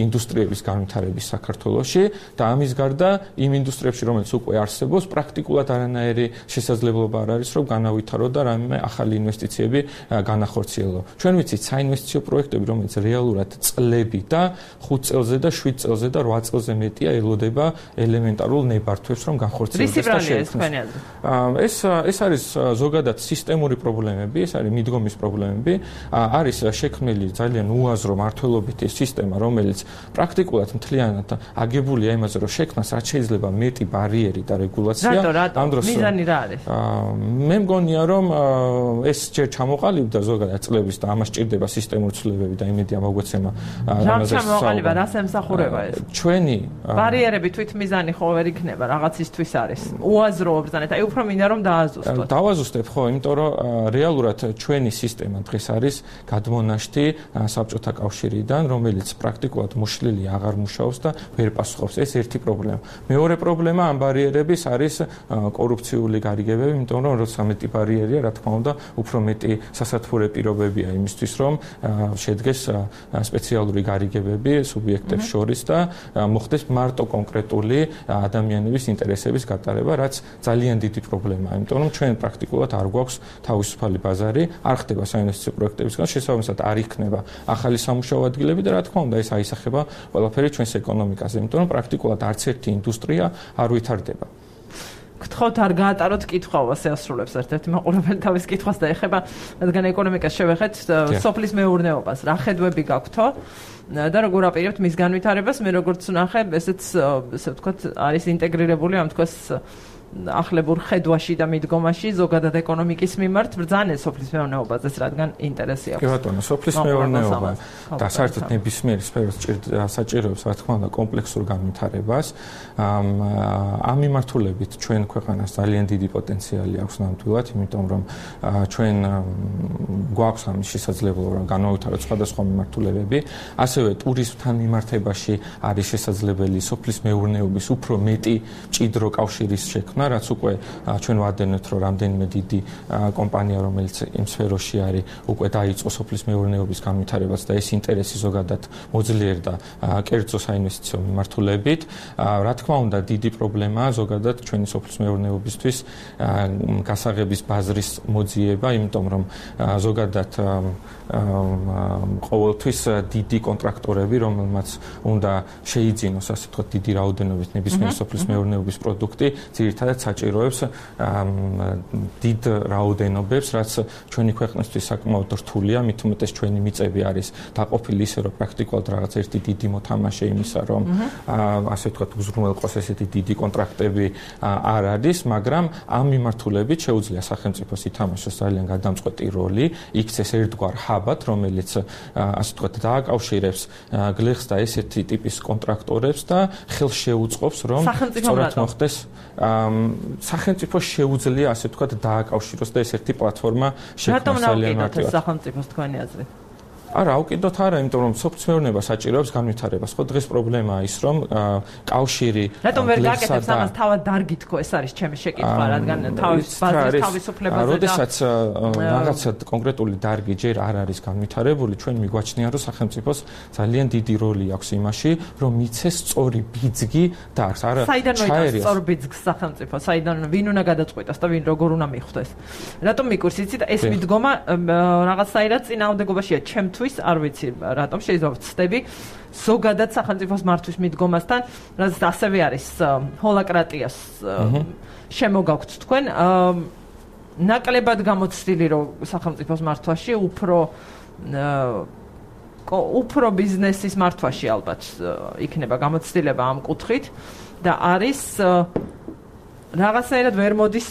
ინდუსტრიების განვითარების საქართველოში და ამის გარდა იმ ინდუსტრიებში, რომელიც უკვე არსებობს, პრაქტიკულად არანაირი შესაძლებლობა არ არის, რომ განავითარო და რამე ახალი ინვესტიციები განახორციელო. ჩვენ ვიცით საინვესტიციო პროექტები, რომელიც რეალურად წლები და 5 წელზე და 7 წელზე და 8 წელზე მეტია ელოდება ელემენტარულ ნებართვებს, რომ განხორციელდეს და შექმნას. ეს არის ზოგადად სისტემური პრობლემები, ეს არის მიდგომის პრობლემები, არის შექმნილი ძალიან უაზრო მართლობითი სისტემა, რომელიც პრაქტიკულად მთლიანად აგებულია იმაზე, რომ შექმნას რაც შეიძლება მეტი ბარიერი და რეგულაცია. ამ დროს მიზანი რა არის? მე მგონია, რომ ეს ჯერ ჩამოყალიბდა ზოგადად წლების და ამას ჭირდება სისტემური ცვლილებები და იმედია მოგვეცემა რამაც ჩამოყალიბდა, რას ემსახურება ეს? ჩვენი ბარიერები თვით მიზანი ხო ვერ იქნება, რაღაცისთვის არის. უაზრო ბრძანება, აი უფრო მინდა რომ დააზუსტოთ. დავაზუსტებ ხო, იმიტომ რომ რეალურად ჩვენი სისტემა დღეს არის გადმონაშთი საბჭოთა კავშირიდან, რომელიც პრაქტიკულად მოშლილი აღარ მუშაობს და ვერ პასუხობს. ეს ერთი პრობლემა. მეორე პრობლემა ამ ბარიერების არის კორუფციული გარიგებები, იმიტომ რომ როცა მეტი ბარიერია, რა თქმა უნდა, უფრო მეტი სასათბურე პირობებია იმისთვის, რომ შედგეს სპეციალური გარიგებები სუბიექტებს შორის და მოხდეს მარტო კონკრეტული ადამიანების ინტერესების გატარება, რაც ძალიან დიდი პრობლემაა, იმიტომ რომ ჩვენ პრაქტიკულად არ გვაქვს თავისუფალი ბაზარი, არ ხდება საინვესტიციო პროექტებისგან, შესაბამისად არ იქნება ახალი სამუშაო ადგილები და რა თქმა უნდა ეს აისახება ყველაფერი ჩვენს ეკონომიკაზე, იმიტომ რომ პრაქტიკულად არც ერთი ინდუსტრია არ ვითარდება. გთხოვთ არ გაატაროთ კითხვა, ასეასრულებს ერთ-ერთი მაყურებელი თავის კითხვას და ეხება, რადგან ეკონომიკას შევეხეთ, სოფლის მეურნეობას, რა ხედვები გაქვთო და როგორ აპირებთ მის განვითარებას? მე როგორც ვნახე, ესეც ესე ვთქვათ, არის ინტეგრირებული ამ თქოს ახლებურ ხედვაში და მიდგომაში ზოგადად ეკონომიკის მიმართ ბრძანეს სოფლის მეურნეობაზეც, რადგან ინტერესი აქვს. კი ბატონო, სოფლის მეურნეობა და საერთოდ ნებისმიერი სფეროს საჭიროებს, რა თქმა უნდა, კომპლექსურ განვითარებას. ამ მიმართულებით ჩვენ ქვეყანას ძალიან დიდი პოტენციალი აქვს ნამდვილად, იმიტომ რომ ჩვენ გვაქვს ამის შესაძლებლობა, რომ განავითაროთ სხვადასხვა მიმართულებები, ასევე ტურიზმთან მიმართებაში არის შესაძლებელი სოფლის მეურნეობის უფრო მეტი მჭიდრო კავშირის შექმნა, რაც უკვე ჩვენ ვადენთ, რომ რამდენიმე დიდი კომპანია, რომელიც იმ სფეროში არის, უკვე დაიწყო სოფლის მეურნეობის განვითარებას და ეს ინტერესი ზოგადად მოძლიერდა კერძო საინვესტიციო მიმართულებით. რა თქმა უნდა, დიდი პრობლემაა ზოგადად ჩვენი სოფლის მეურნეობისთვის გასაღების ბაზრის მოძიება, იმიტომ რომ ზოგადად ყოველთვის დიდი კონტრაქტორები, რომელმაც უნდა შეიძინოს, ასე ვთქვათ, დიდი რაოდენობით ნებისმიერი სოფლის მეურნეობის პროდუქტი, ძირითადად სადაც საჭიროებს დიდ რაოდენობებს, რაც ჩვენი ქვეყნისთვის საკმაოდ რთულია, მით უმეტეს ჩვენი მიწები არის დაყოფილი ისე, რომ პრაქტიკულად რაღაც ერთი დიდი მოთამაშე იმისა, რომ ასე ვთქვათ, უზრუნველყოს ესეთი დიდი კონტრაქტები არ არის, მაგრამ ამ მიმართულებით შეუძლია სახელმწიფოს ითამაშოს ძალიან გადამწყვეტი როლი, იქცეს ერთგვარ ჰაბად, რომელიც ასე ვთქვათ, დააკავშირებს გლეხს და ესეთი ტიპის კონტრაქტორებს და ხელს შეუწყობს, რომ სწორად მოხდეს სახელმწიფო შეუძლია ასე ვთქვათ დააკავშიროს და ეს ერთი პლატფორმა შექმნას ძალიან მარტივად. სახელმწიფოს თქვენი აზრით? არა, უკიდოთ არა, იმიტომ რომ სოფლმეურნეობა საჭიროებს განვითარებას. ხო, დღეს პრობლემაა ის, რომ კავშირი რატომ ვერ გაკეთებს ამას თავად დარგი თქო, ეს არის ჩემი შეკითხვა, რადგან ბაზრის თავისუფლებაზე და როდესაც რაღაცა კონკრეტული დარგი ჯერ არ არის განვითარებული, ჩვენ მიგვაჩნია, რომ სახელმწიფოს ძალიან დიდი როლი აქვს იმაში, რომ მიცეს სწორი ბიძგი და აქვს არა ჩაერიას. სწორ ბიძგს სახელმწიფო, საიდან ვინ უნდა გადაწყვეტოს და ვინ როგორ უნდა მიხვდეს. რატომ მიკურს იცი და ეს მიდგომა რაღაცაირად წინააღმდეგობაშია ჩემთვის არ ვიცი რატომ შეიძლება ვწდები ზოგადად სახელმწიფოს მართვის მიდგომასთან რაც ასევე არის ჰოლაკრატიას შემოგაქვთ თქვენ ნაკლებად გამოცდილი რომ სახელმწიფოს მართვაში უფრო ბიზნესის მართვაში ალბათ იქნება გამოცდილება ამ კუთხით და არის რაღაცაირად ვერ მოდის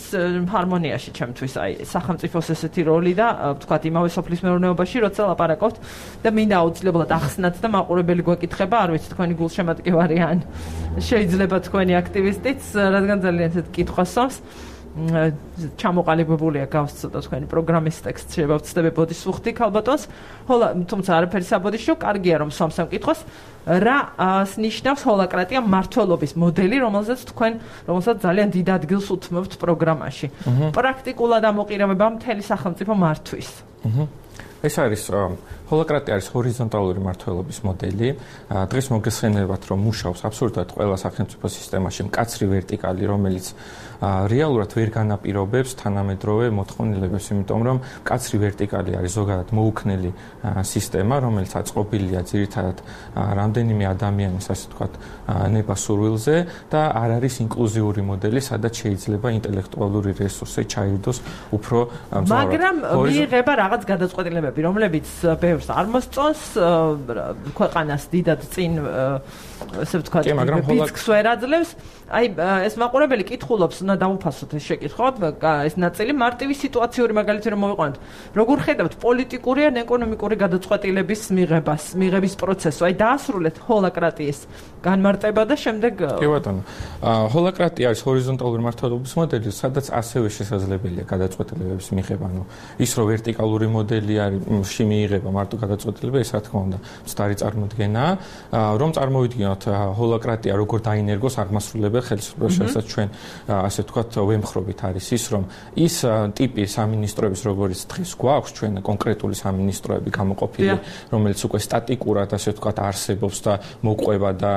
ჰარმონიაში ჩემთვის აი სახელმწიფოს ესეთი როლი და ვთქვათ იმავე სოფლის მეურნეობაში როცა ლაპარაკობთ და მინდა აუცილებლად ახსნათ და მაყურებელი გვეკითხება არ ვიცი თქვენი გულშემატკივარი ან შეიძლება თქვენი აქტივისტიც რადგან ძალიან ესეთ კითხვას სვამს ჩამოყალიბებულია გავს ცოტა თქვენი პროგრამის ტექსტ შეიძლება ვწდები ბოდის უხდი ქალბატონს თუმცა არაფერი საბოდიშო კარგია რომ სვამს ამ კითხვას რა ნიშნავს ჰოლაკრატია მმართველობის მოდელი რომელსაც ძალიან დიდ ადგილს უთმობთ პროგრამაში პრაქტიკულად ამოყირებება მთელი სახელმწიფო მართვის ეს არის ჰოლაკრატია არის ჰორიზონტალური მმართველობის მოდელი. დღეს მოგესხენებათ, რომ მუშაობს აბსოლუტურად ყველა სახელმწიფო სისტემაში მკაცრი ვერტიკალი, რომელიც რეალურად ვერ განაპირობებს თანამედროვე მოთხოვნილებებს, იმიტომ რომ მკაცრი ვერტიკალი არის ზოგადად მოუქნელი სისტემა, რომელიც აწყობილია ძირითადად რამდენიმე ადამიანის, ასე ვთქვათ, ნება-სურვილზე და არ არის ინკლუზიური მოდელი, სადაც შეიძლება ინტელექტუალური რესურსი ჩაირდოს უფრო მძლავრად. მაგრამ მიიღება რაღაც გადაწყვეტილებები, რომლებიც ბევრს არ მოსწონს ქვეყანას დიდად წინ ესე ვთქვათ, ბიძგს ვერ აძლევს. აი ეს მაყურებელი კითხულობს, უნდა დავუფასოთ ეს შეკითხვა, ეს ნაწილი მარტივი სიტუაციური მაგალითი რომ მოვიყვანოთ. როგორ ხედავთ პოლიტიკური ან ეკონომიკური გადაწყვეტილების მიღების პროცესს? აი დაასრულეთ ჰოლაკრატიის განმარტება და შემდეგ კი ბატონო. ჰოლაკრატია არის ჰორიზონტალური მმართველობის მოდელი, სადაც ასევე შესაძლებელია გადაწყვეტილებების მიღება. ანუ ის რომ ვერტიკალური მოდელი არის მიიღება მარტო გადაწყვეტილება, ეს რა თქმა უნდა, მცდარი წარმოდგენაა. რომ წარმოვიდგინოთ ჰოლაკრატია როგორ დაინერგოს აღმასრულებელ ხელისუფლებას, შესაძლოა ჩვენ ასე ვთქვათ, ვემხრობით არის ის, რომ ის ტიპი სამინისტროების, როგორც დღეს გვაქვს, ჩვენ კონკრეტული სამინისტროები გამოყოფილი, რომელიც უკვე სტატიკურად, ასე ვთქვათ, არსებობს და მოყვება და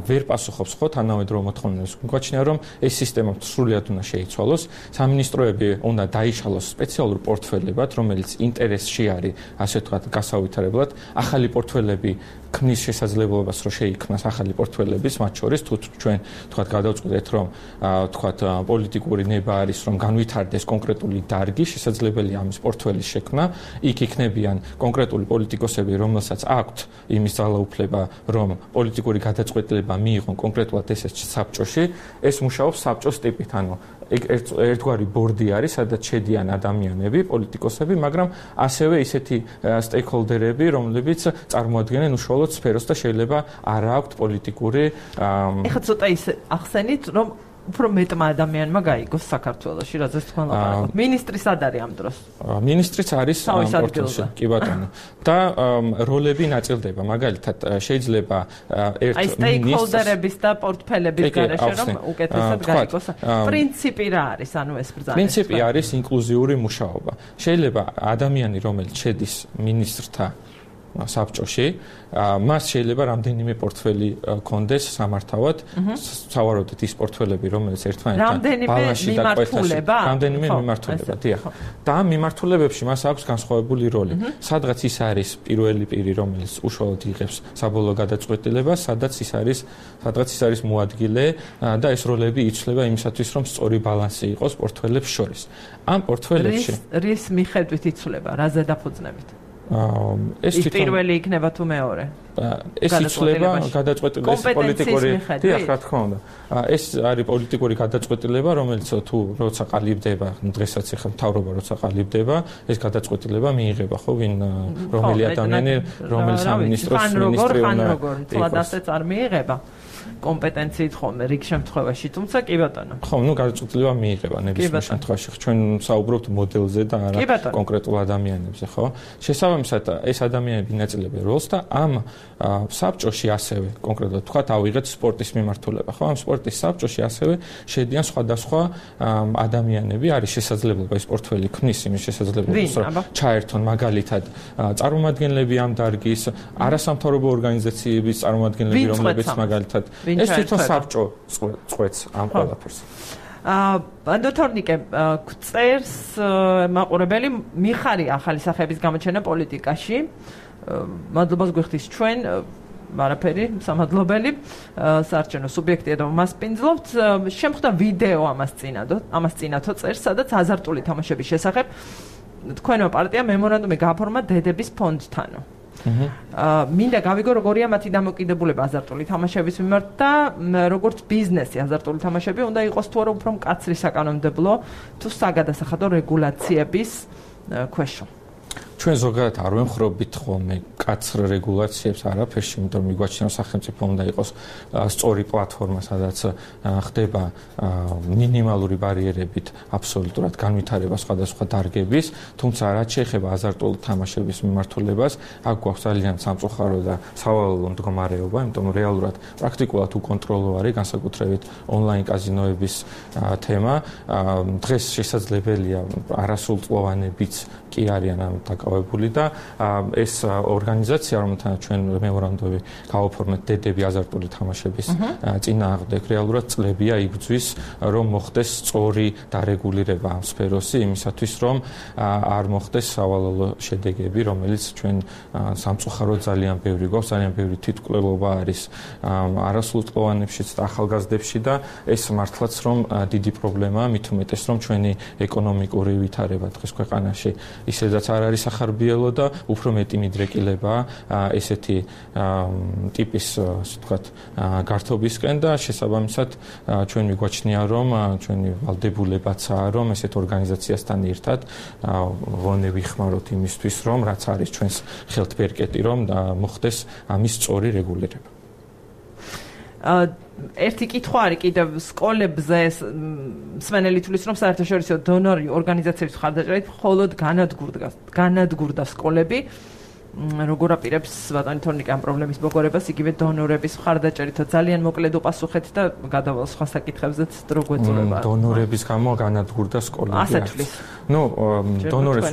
ვერ პასუხობს ხო თანამედროვე მოთხოვნებს. გვაჩნია, რომ ეს სისტემა სრულად უნდა შეიცვალოს. სამინისტროები უნდა დაიშალოს სპეციალურ პორტფელებად, რომელიც ინტერესში არის, ასე ვთქვათ, გასავითარებლად. ახალი პორტფელები ქმნის შესაძლებლობას, რომ შეიქმნას ახალი პორტფელებიც, მათ შორის თუ ჩვენ ვთქვათ გადავწყვეტეთ, რომ ვთქვათ პოლიტიკური ნება არის, რომ განვითარდეს კონკრეტული დარგი, შესაძლებელია ამის პორტფელის შექმნა, იქ იქნებიან კონკრეტული პოლიტიკოსები, რომელსაც აქვთ იმის ძალაუფლება, რომ პოლიტიკური გადაწყვეტილება მიიღონ კონკრეტულად ესეც საბჭოში, ეს მუშაობს საბჭოს ტიპით, ანუ ერთგვარი ბორდი არის, სადაც შედიან ადამიანები, პოლიტიკოსები, მაგრამ ასევე ისეთი სტეიქჰოლდერები, რომლებიც წარმოადგენენ უშუალოდ სფეროს და შეიძლება არ აქვთ პოლიტიკური ეხლა ცოტა ის ახსენით, რომ უფრო მეტმა ადამიანმა გაიგოს საქართველოში, რაზეც თქვენ ლაპარაკობთ. ministri სად არის ამ დროს? ministrიც არის პორტფელში, კი ბატონო. და როლები ნაწილდება, მაგალითად, შეიძლება ერთ ministrს სტეიქჰოლდერების და პორტფელების გარეშე რომ უკეთესად გაიგოს. პრინციპი რა არის, ანუ ეს ბრძანება? პრინციპი არის ინკლუზიური მუშაობა. შეიძლება ადამიანი, რომელიც შედის ministrთა საბჭოში, მას შეიძლება რამდენიმე პორტფელი კონდეს სამართავად, სავარაუდოდ ის პორტფელები, რომელიც ერთმანეთთან ბალანსში დაკვეთაში, რამდენიმე მიმართულება, დიახ. და ამ მიმართულებებში მას აქვს განსხვავებული როლი. სადღაც ის არის პირველი პირი, რომელიც უშუალოდ იღებს საბოლოო გადაწყვეტილებას, სადღაც ის არის მოადგილე და ეს როლები იცვლება იმისათვის, რომ სწორი ბალანსი იყოს პორტფელებს შორის. ამ პორტფელებში რის მიხედვით იცვლება, რა ზედაფუძნებით? ეს პირველი იქნება თუ მეორე? ეს იცვლება გადაწყვეტილება პოლიტიკური, დიახ, რა თქმა უნდა. ეს არის პოლიტიკური გადაწყვეტილება, რომელიც თუ როცა ყალიბდება, დღესაც ახლა მთავრობა როცა ყალიბდება, ეს გადაწყვეტილება მიიღება, ხო, ვინ რომელი ადამიანი, რომელი სამინისტროს მინისტრი უნდა იყოს. ასეც არ მიიღება კომპეტენციით ხოლმე რიგ შემთხვევაში, თუმცა კი ბატონო. ხო, გადაწყვეტილება მიიღება ნებისმიერ შემთხვევაში. ჩვენ საუბრობთ მოდელზე და არა კონკრეტულ ადამიანებზე, ხო? შესაბამისად, ეს ადამიანები ინაწილებენ როლს და ამ საბჭოში ასევე კონკრეტულად თქვათ ავიღეთ სპორტის მიმართულება, ხო? ამ სპორტის საბჭოში ასევე შედიან სხვადასხვა ადამიანები, არის შესაძლებლობა ეს პორტფელი ქმნის იმის შესაძლებლობას, რომ ჩაერთონ მაგალითად წარმომადგენლები ამ დარგის, არასამთავრობო ორგანიზაციების წარმომადგენლები, რომლებიც მაგალითად ეს თვითონ საბჭო წყვეტს ამ ყველაფერს. ბანდოთორნიკე წერს მაყურებელი მიხარი ახალი სახეების გამოჩენა პოლიტიკაში. მადლობას გვიხდის ჩვენ არაფერი სამადლობელი საარჩევნო სუბიექტია და მას პინძლობთ. შემხვდა ვიდეო ამას წინათო წერს, სადაც აზარტული თამაშების შესახებ თქვენო პარტია მემორანდუმი გააფორმა დედების ფონდთანო. მინდა გავიგო როგორია მათი დამოკიდებულება აზარტული თამაშების მიმართ და როგორც ბიზნესი აზარტული თამაშები უნდა იყოს თუ არა უფრო მკაცრი საკანონმდებლო თუ საგადასახადო რეგულაციების ქვეშ. ჩვენ ზოგადად არ ვემხრობით ხოლმე კაცრ რეგულაციებს არაფერში, იმიტომ რომ მიგვაჩნია რომ სახელმწიფო უნდა იყოს სწორი პლატფორმა, სადაც ხდება მინიმალური ბარიერებით აბსოლუტურად განვითარება სხვადასხვა დარგების, თუმცა რაც შეეხება აზარტული თამაშების მიმართულებას, აქ გვაქვს ძალიან სამწუხარო და სავალალო მდგომარეობა, იმიტომ რომ რეალურად პრაქტიკულად უკონტროლო არის განსაკუთრებით ონლაინ კაზინოების თემა. დღეს შესაძლებელია არასრულწლოვანებიც კი არიან ამ დაკავებული და ეს ორგანიზაცია, რომელთან ჩვენ მემორანდუმი გავაფორმეთ დედები აზარტული თამაშების წინააღმდეგ, რეალურად წლებია იგრძვის, რომ მოხდეს სწორი დარეგულირება ამ სფეროსი, იმისათვის რომ არ მოხდეს სავალალო შედეგები, რომელიც ჩვენ სამწუხაროდ ძალიან ბევრი გვაქვს, ძალიან ბევრი თვითმკვლელობა არის არასრულწლოვანებშიც და ახალგაზრდებში და ეს მართლაც რომ დიდი პრობლემაა, მით უმეტეს რომ ჩვენი ეკონომიკური ვითარება დღეს ქვეყანაში ისედაც არ არის ახარბიელო და უფრო მეტი მიდრეკილებაა ესეთი ტიპის, ასე ვთქვათ, გართობისკენ და შესაბამისად ჩვენ მიგვაჩნია რომ ჩვენი ვალდებულებაცაა რომ ესეთ ორგანიზაციასთან ერთად ვონე ვიხმაროთ იმისთვის რომ რაც არის ჩვენს ხელთ ბერკეტი რომ მოხდეს ამის სწორი რეგულირება. ერთი კითხვა არის კიდევ სკოლებზე მსმენელი თulis რომ საერთაშორისო დონორი ორგანიზაციების მხარდაჭერით მხოლოდ განადგურდა სკოლები. როგორ აპირებს ბატონი თორნიკე ამ პრობლემის მოგორებას იგივე დონორების მხარდაჭერით ძალიან მოკლედ უპასუხეთ და გადავალ სხვა საკითხებზეც დრო გვეწურება. დონორების გამო განადგურდა სკოლები. ასეთ თulis. დონორებს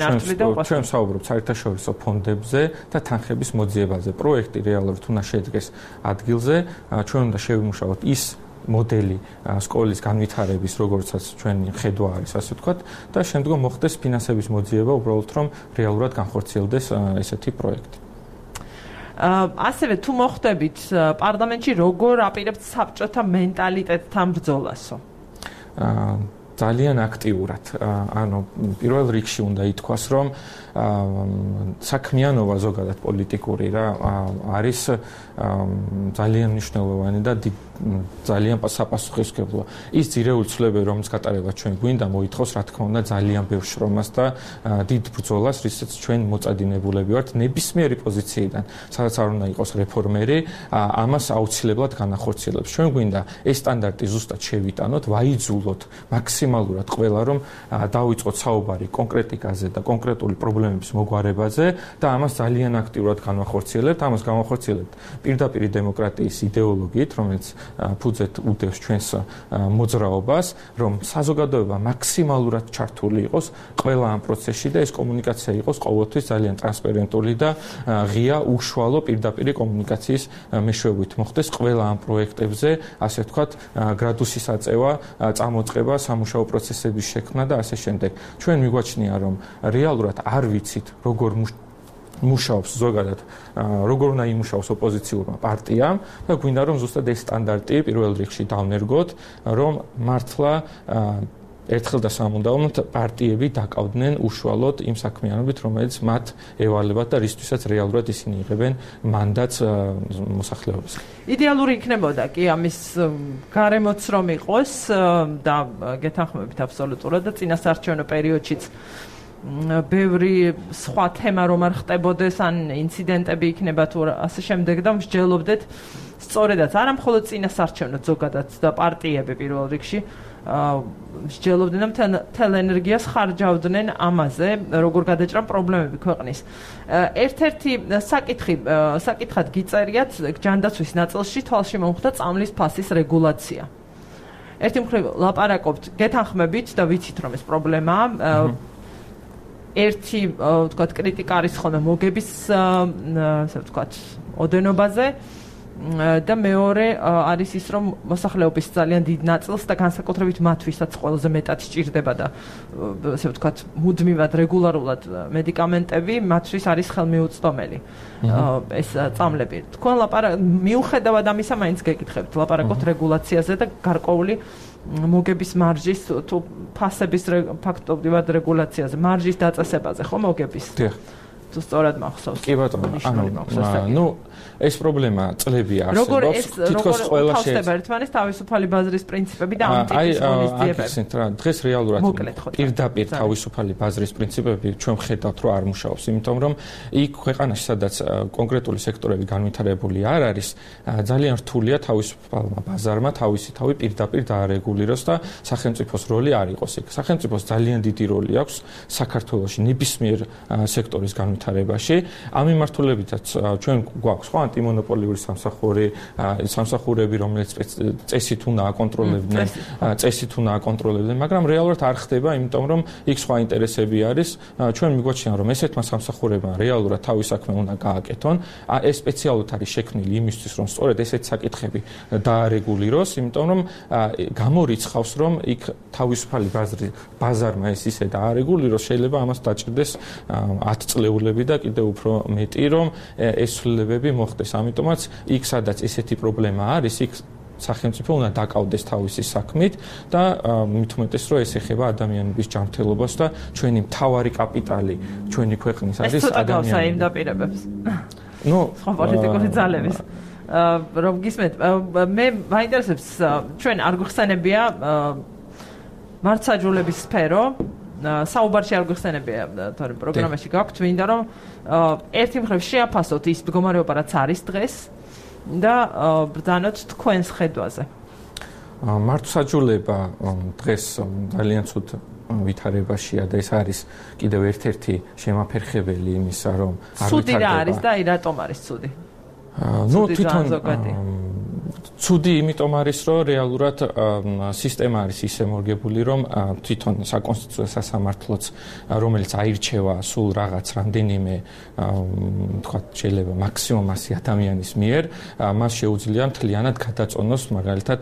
ჩვენ საუბრობთ საერთაშორისო ფონდებზე და თანხების მოძიებაზე. პროექტი რეალურად უნდა შედგეს ადგილზე, ჩვენ უნდა შევიმუშაოთ ის მოდელი სკოლის განვითარების, როგორცაც ჩვენი ხედვა არის, ასე ვთქვათ, და შემდგომ მოხდეს ფინანსების მოძიება, უბრალოდ რომ რეალურად განხორციელდეს ესეთი პროექტი. ასევე თუ მოხდებით პარლამენტში როგორ აპირებთ საბჭოთა მენტალიტეტთან ბრძოლასო? ძალიან აქტიურად. ანუ პირველ რიგში უნდა ითქვას, რომ საქმიანობა ზოგადად პოლიტიკური რა არის ძალიან მნიშვნელოვანი და ძალიან საპასუხისმგებლოა. ის ძირეული ცვლილებები, რომელიც გატარება ჩვენ გვინდა, მოითხოვს, რა თქმა უნდა, ძალიან ბევრ შრომას და დიდ ბრძოლას, რისაც ჩვენ მოწადინებულები ვართ ნებისმიერი პოზიციიდან, სადაც არ უნდა იყოს რეფორმერი, ამას აუცილებლად განახორციელებს. ჩვენ გვინდა ეს სტანდარტი ზუსტად შევიტანოთ, ვაიძულოთ მაქსიმალურად მაქსიმალურად ყველა რომ დავიწყოთ საუბარი კონკრეტიკაზე და კონკრეტული პრობლემების მოგვარებაზე და ამას ძალიან აქტიურად განვახორციელებთ. ამას განვახორციელებთ პირდაპირ დემოკრატიის იდეოლოგიით, რომელიც ფუძედ უდევს ჩვენს მოძრაობას, რომ საზოგადოება მაქსიმალურად ჩართული იყოს ყველა ამ პროცესში და ეს კომუნიკაცია იყოს ყოველთვის ძალიან ტრანსპერენტული და ღია, უშუალო პირდაპირ კომუნიკაციის მეშვეობით მოხდეს ყველა ამ პროექტებზე, ასე ვთქვათ, გრადუსის აწევა, წამოწყება, სამუშაო პროცესების შექმნა და ასე შემდეგ. ჩვენ მიგვაჩნია, რომ რეალურად არ ვიცით, როგორ მუშაობს ზოგადად, როგორ უნდა იმუშაოს ოპოზიციურმა პარტიამ და გვინდა რომ ზუსტად ეს სტანდარტი პირველ რიგში დავნერგოთ, რომ მართლა ერთხელ და სამუდამოდ პარტიები დაკავდნენ უშუალოდ იმ საქმიანობით, რომელიც მათ ევალებათ და რისთვისაც რეალურად ისინი იღებენ მანდატს მოსახლეობისგან. იდეალური იქნებოდა კი ამის გარემოც რომ იყოს და გეთანხმებით აბსოლუტურად და წინასაარჩევნო პერიოდშიც ბევრი სხვა თემა რომ არ ხდებოდეს ან ინციდენტები იქნება თუ ასე შემდეგ და მსჯელობდეთ სწორედაც არა მხოლოდ წინასაარჩევნო ზოგადად და პარტიები პირველ რიგში მსჯელობდნენ და მთელ ენერგიას ხარჯავდნენ ამაზე, როგორ გადაჭრან პრობლემები ქვეყნის. ერთ-ერთი საკითხად გიწერიათ ჯანდაცვის ნაწილში თვალში მომხვდა წამლის ფასის რეგულაცია. ერთი მხრივ ლაპარაკობთ გეთანხმებით და ვიცით რომ ეს პრობლემაა. ერთი ვთქვათ კრიტიკა არის ხოლმე მოგების ასე ვთქვათ ოდენობაზე და მეორე არის ის რომ მოსახლეობის ძალიან დიდ ნაწილს და განსაკუთრებით მათთვისაც ყველაზე მეტად სჭირდება და ასე ვთქვათ მუდმივად რეგულარულად მედიკამენტები მათთვის არის ხელმიუწვდომელი ეს წამლები. თქვენ მიუხედავად ამისა მაინც გეკითხებთ ლაპარაკობთ რეგულაციაზე და გარკვეული მოგების მარჟის თუ ფასების ფაქტობრივად რეგულაციაზე, მარჟის დაწესებაზე, ხო მოგების? დიახ. თუ სწორად მახსოვს. კი ბატონო, ეს პრობლემა წლები არსებობს. თითქოს ყველა შეიძლება ერთმანეთს თავისუფალი ბაზრის პრინციპები და ამ ტიპის მონისტიებები. დღეს რეალურად პირდაპირ თავისუფალი ბაზრის პრინციპები ჩვენ ხედავთ რომ არ მუშაობს, იმიტომ რომ იქ ქვეყანაში სადაც კონკრეტული სექტორები განვითარებული არ არის, ძალიან რთულია თავისუფალმა ბაზარმა თავისთავად პირდაპირ დაარეგულიროს და სახელმწიფოს როლი არ იყოს იქ. სახელმწიფოს ძალიან დიდი როლი აქვს საქართველოში ნებისმიერ სექტორის განვითარებაში. ამ მიმართულებითაც ჩვენ გვაქვს ხო ანტიმონოპოლიური სამსახურები, რომელიც წესით უნდა აკონტროლებდნენ, მაგრამ რეალურად არ ხდება, იმიტომ რომ იქ სხვა ინტერესები არის. ჩვენ მიგვაჩნია, რომ ესეთმა სამსახურებმა რეალურად თავის საქმე უნდა გააკეთონ. ეს სპეციალურად არის შექმნილი იმისთვის, რომ სწორედ ესეთი საკითხები დაარეგულიროს, იმიტომ რომ გამორიცხავს, რომ იქ თავისუფალი ბაზარმა ეს ისე დაარეგულიროს, შეიძლება ამას დაჭირდეს 10 წლეულები და კიდევ უფრო მეტი, რომ ეს ცვლილებები მოხდეს. ამიტომაც იქ სადაც ესეთი პრობლემა არის, იქ სახელმწიფო უნდა დაკავდეს თავისი საქმით და მით უმეტეს რომ ეს ეხება ადამიანების ჯანმრთელობას და ჩვენი მთავარი კაპიტალი ჩვენი ქვეყნის არის ადამიანები. ეს იმ დაპირებებს. სხვა პოლიტიკური ძალების. რომ გისმენთ, მე მაინტერესებს ჩვენ არ გვხსენებია მართლმსაჯულების სფერო საუბარში არ გვხსენებია თორემ პროგრამაში გაქვთ, მინდა რომ ერთი მხრივ შეაფასოთ ის მდგომარეობა რაც არის დღეს და ბრძანოთ თქვენს ხედვაზე. მართლმსაჯულება დღეს ძალიან ცუდ ვითარებაშია და ეს არის კიდევ ერთ-ერთი შემაფერხებელი იმისა, რომ არ ვითარდება. ცუდი რა არის და რატომ არის ცუდი? თვითონ ცუდი იმიტომ არის, რომ რეალურად სისტემა არის ისე მორგებული, რომ თვითონ საკონსტიტუციო სასამართლოც, რომელიც აირჩევა სულ რაღაც რამდენიმე, თქვათ, შეიძლება მაქსიმუმ 100 ადამიანის მიერ, მას შეუძლია მთლიანად გადაწონოს, მაგალითად,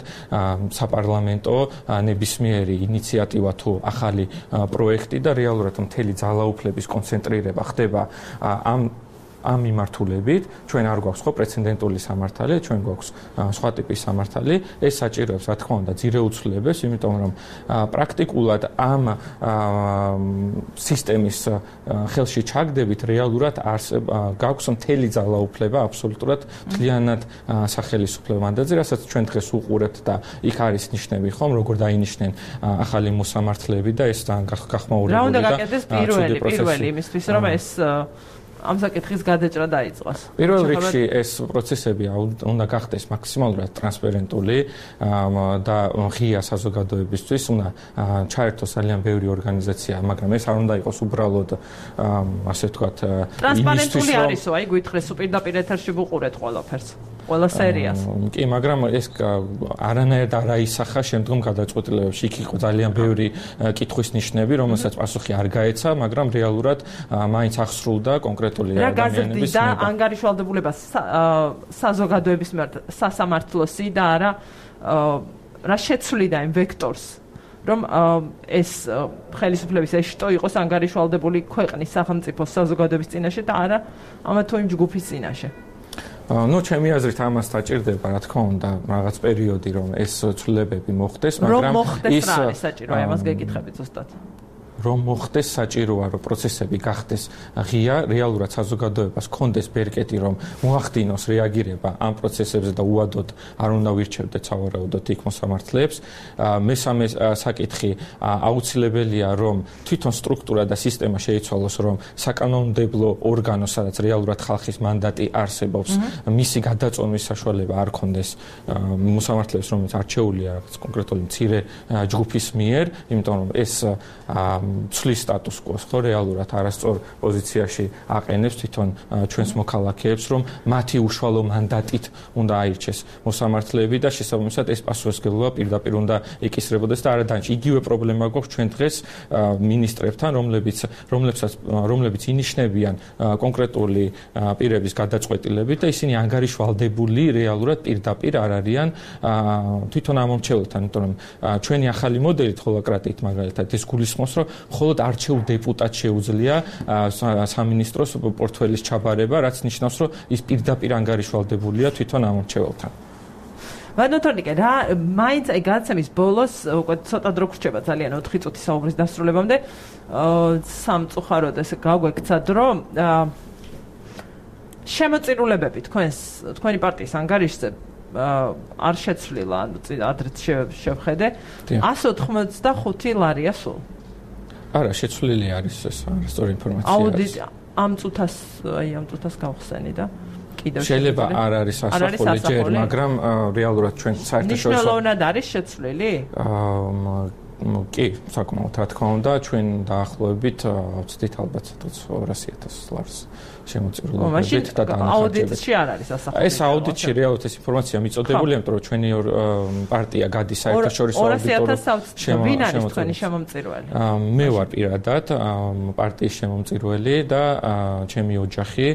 საპარლამენტო ნებისმიერი ინიციატივა თუ ახალი პროექტი და რეალურად მთელი ძალაუფლების კონცენტრირება ხდება ამ მიმართულებით. ჩვენ არ გვაქვს ხო პრეცედენტული სამართალი, ჩვენ გვაქვს სხვა ტიპის სამართალი. ეს საჭიროებს, რა თქმა უნდა, ძირეუცვლელებს, იმიტომ რომ პრაქტიკულად ამ სისტემის ხელში ჩაგდებით რეალურად გაქვს მთელი ძალაუფლება აბსოლუტურად მთლიანად სახელმწიფო მანდატზე, რასაც ჩვენ დღეს უყურებთ და იქ არის ნიშნები ხომ, როგორ დაინიშნენ ახალი მოსამართლეები და ეს გახმაურებული და რა უნდა გაკეთდეს პირველი იმისთვის, რომ ეს ამ საკითხის გადაჭრა დაიწყოს. პირველ რიგში ეს პროცესები უნდა გახდეს მაქსიმალურად ტრანსპარენტული და ღია საზოგადოებისთვის უნდა ჩაერთოს ძალიან ბევრი ორგანიზაცია, მაგრამ ეს არ უნდა იყოს უბრალოდ ასე ვთქვათ ტრანსპარენტული არისო, აი გითხრეს პირდაპირ ეთერში ვუყურეთ ყველაფერს. ყველა სერიას. კი, მაგრამ ეს არანაირად არ აისახა შემდგომ გადაწყვეტილებებში. იქ იყო ძალიან ბევრი კითხვის ნიშნები, რომელსაც პასუხი არ გაეცა, მაგრამ რეალურად მაინც აღსრულდა კონკრეტული ადამიანების და ანგარიშვალდებულება საზოგადოების სასამართლოსი და არა რა შეცვლიდა იმ ვექტორს, რომ ეს ხელისუფლების ეშტო იყოს ანგარიშვალდებული ქვეყნის სახელმწიფოს საზოგადოების წინაშე და არა ამა თუ იმ ჯგუფის წინაშე. ნუ ჩემი აზრით ამას დაჭირდება, რა თქმა უნდა, რაღაც პერიოდი, რომ ეს ცვლილებები მოხდეს, მაგრამ ის რა არის საჭირო, ამას გეკითხებით ზუსტად. რომ მოხდეს საჭიროა, რომ პროცესები გახდეს ღია, რეალურად საზოგადოებას კონდეს ბერკეტი, რომ მოახდინოს რეაგირება ამ პროცესებზე და უადოდ არ უნდა ვირჩევდეთ სავარაუდოდ იქ მოსამართლეებს. მესამე საკითხი აუცილებელია, რომ თვითონ სტრუქტურა და სისტემა შეიცვალოს, რომ საკანონმდებლო ორგანო, სადაც რეალურად ხალხის მანდატი არსებობს, მისი გადაწვევის საშუალება არ კონდეს მოსამართლეებს, რომელიც არჩეულია რაღაც კონკრეტული მცირე ჯგუფის მიერ, იმიტომ რომ ეს ცვლის სტატუს quo-ს, ხო, რეალურად არასწორ პოზიციაში აყენებს თვითონ ჩვენს მოქალაქეებს, რომ მათი უშუალო მანდატით უნდა აირჩეს მოსამართლეები და შესაბამისად ეს პასუხისმგებლობა პირდაპირ უნდა ეკისრებოდეს და არა დანარჩი. იგივე პრობლემა გვაქვს ჩვენ დღეს მინისტრებთან, რომლებიც ინიშნებიან კონკრეტული პირების გადაწყვეტილებით და ისინი ანგარიშვალდებული რეალურად პირდაპირ არ არიან თვითონ ამომრჩეველთან, იმიტომ რომ ჩვენი ახალი მოდელით ჰოლოკრატიით მაგალითად ეს გულისხმობს, რომ მხოლოდ არჩეულ დეპუტატს შეუძლია სამინისტროს პორტფელის ჩაბარება, რაც ნიშნავს, რომ ის პირდაპირ ანგარიშვალდებულია თვითონ ამორჩეველთან. ვადნოთორნიკე, რა მაინც აი გადაცემის ბოლოს უკვე ცოტა დრო გრჩება ძალიან 4 წუთის საუბრის დასრულებამდე, სამწუხაროდ ესე გაგვექცა დრო. შემოწირულებები თქვენი პარტიის ანგარიშზე არ შეცვლილა, ადრეც შევხედე. 185 ლარია სულ. არა, შეცვლილი არის ეს არასწორი ინფორმაცია. აუდიტი ამ წუთას გავხსენი და კიდევ შეიძლება არ არის ასახული ჯერ, მაგრამ რეალურად ჩვენ საერთაშორისო მნიშვნელოვნად არის შეცვლილი? კი, საკმაოდ, რა თქმა უნდა, ჩვენ დაახლოებით ვცდით ალბათ 200,000 ლარს შემოწირულობებით და დაანახავთ. აუდიტში არ არის ასახული. ეს აუდიტში რეალურად ეს ინფორმაცია მიწოდებულია, იმიტომ რომ ჩვენი პარტია გადის საერთაშორისო აუდიტორ ვინ არის თქვენი შემომწირველი? მე ვარ პირადად პარტიის შემომწირველი და ჩემი ოჯახი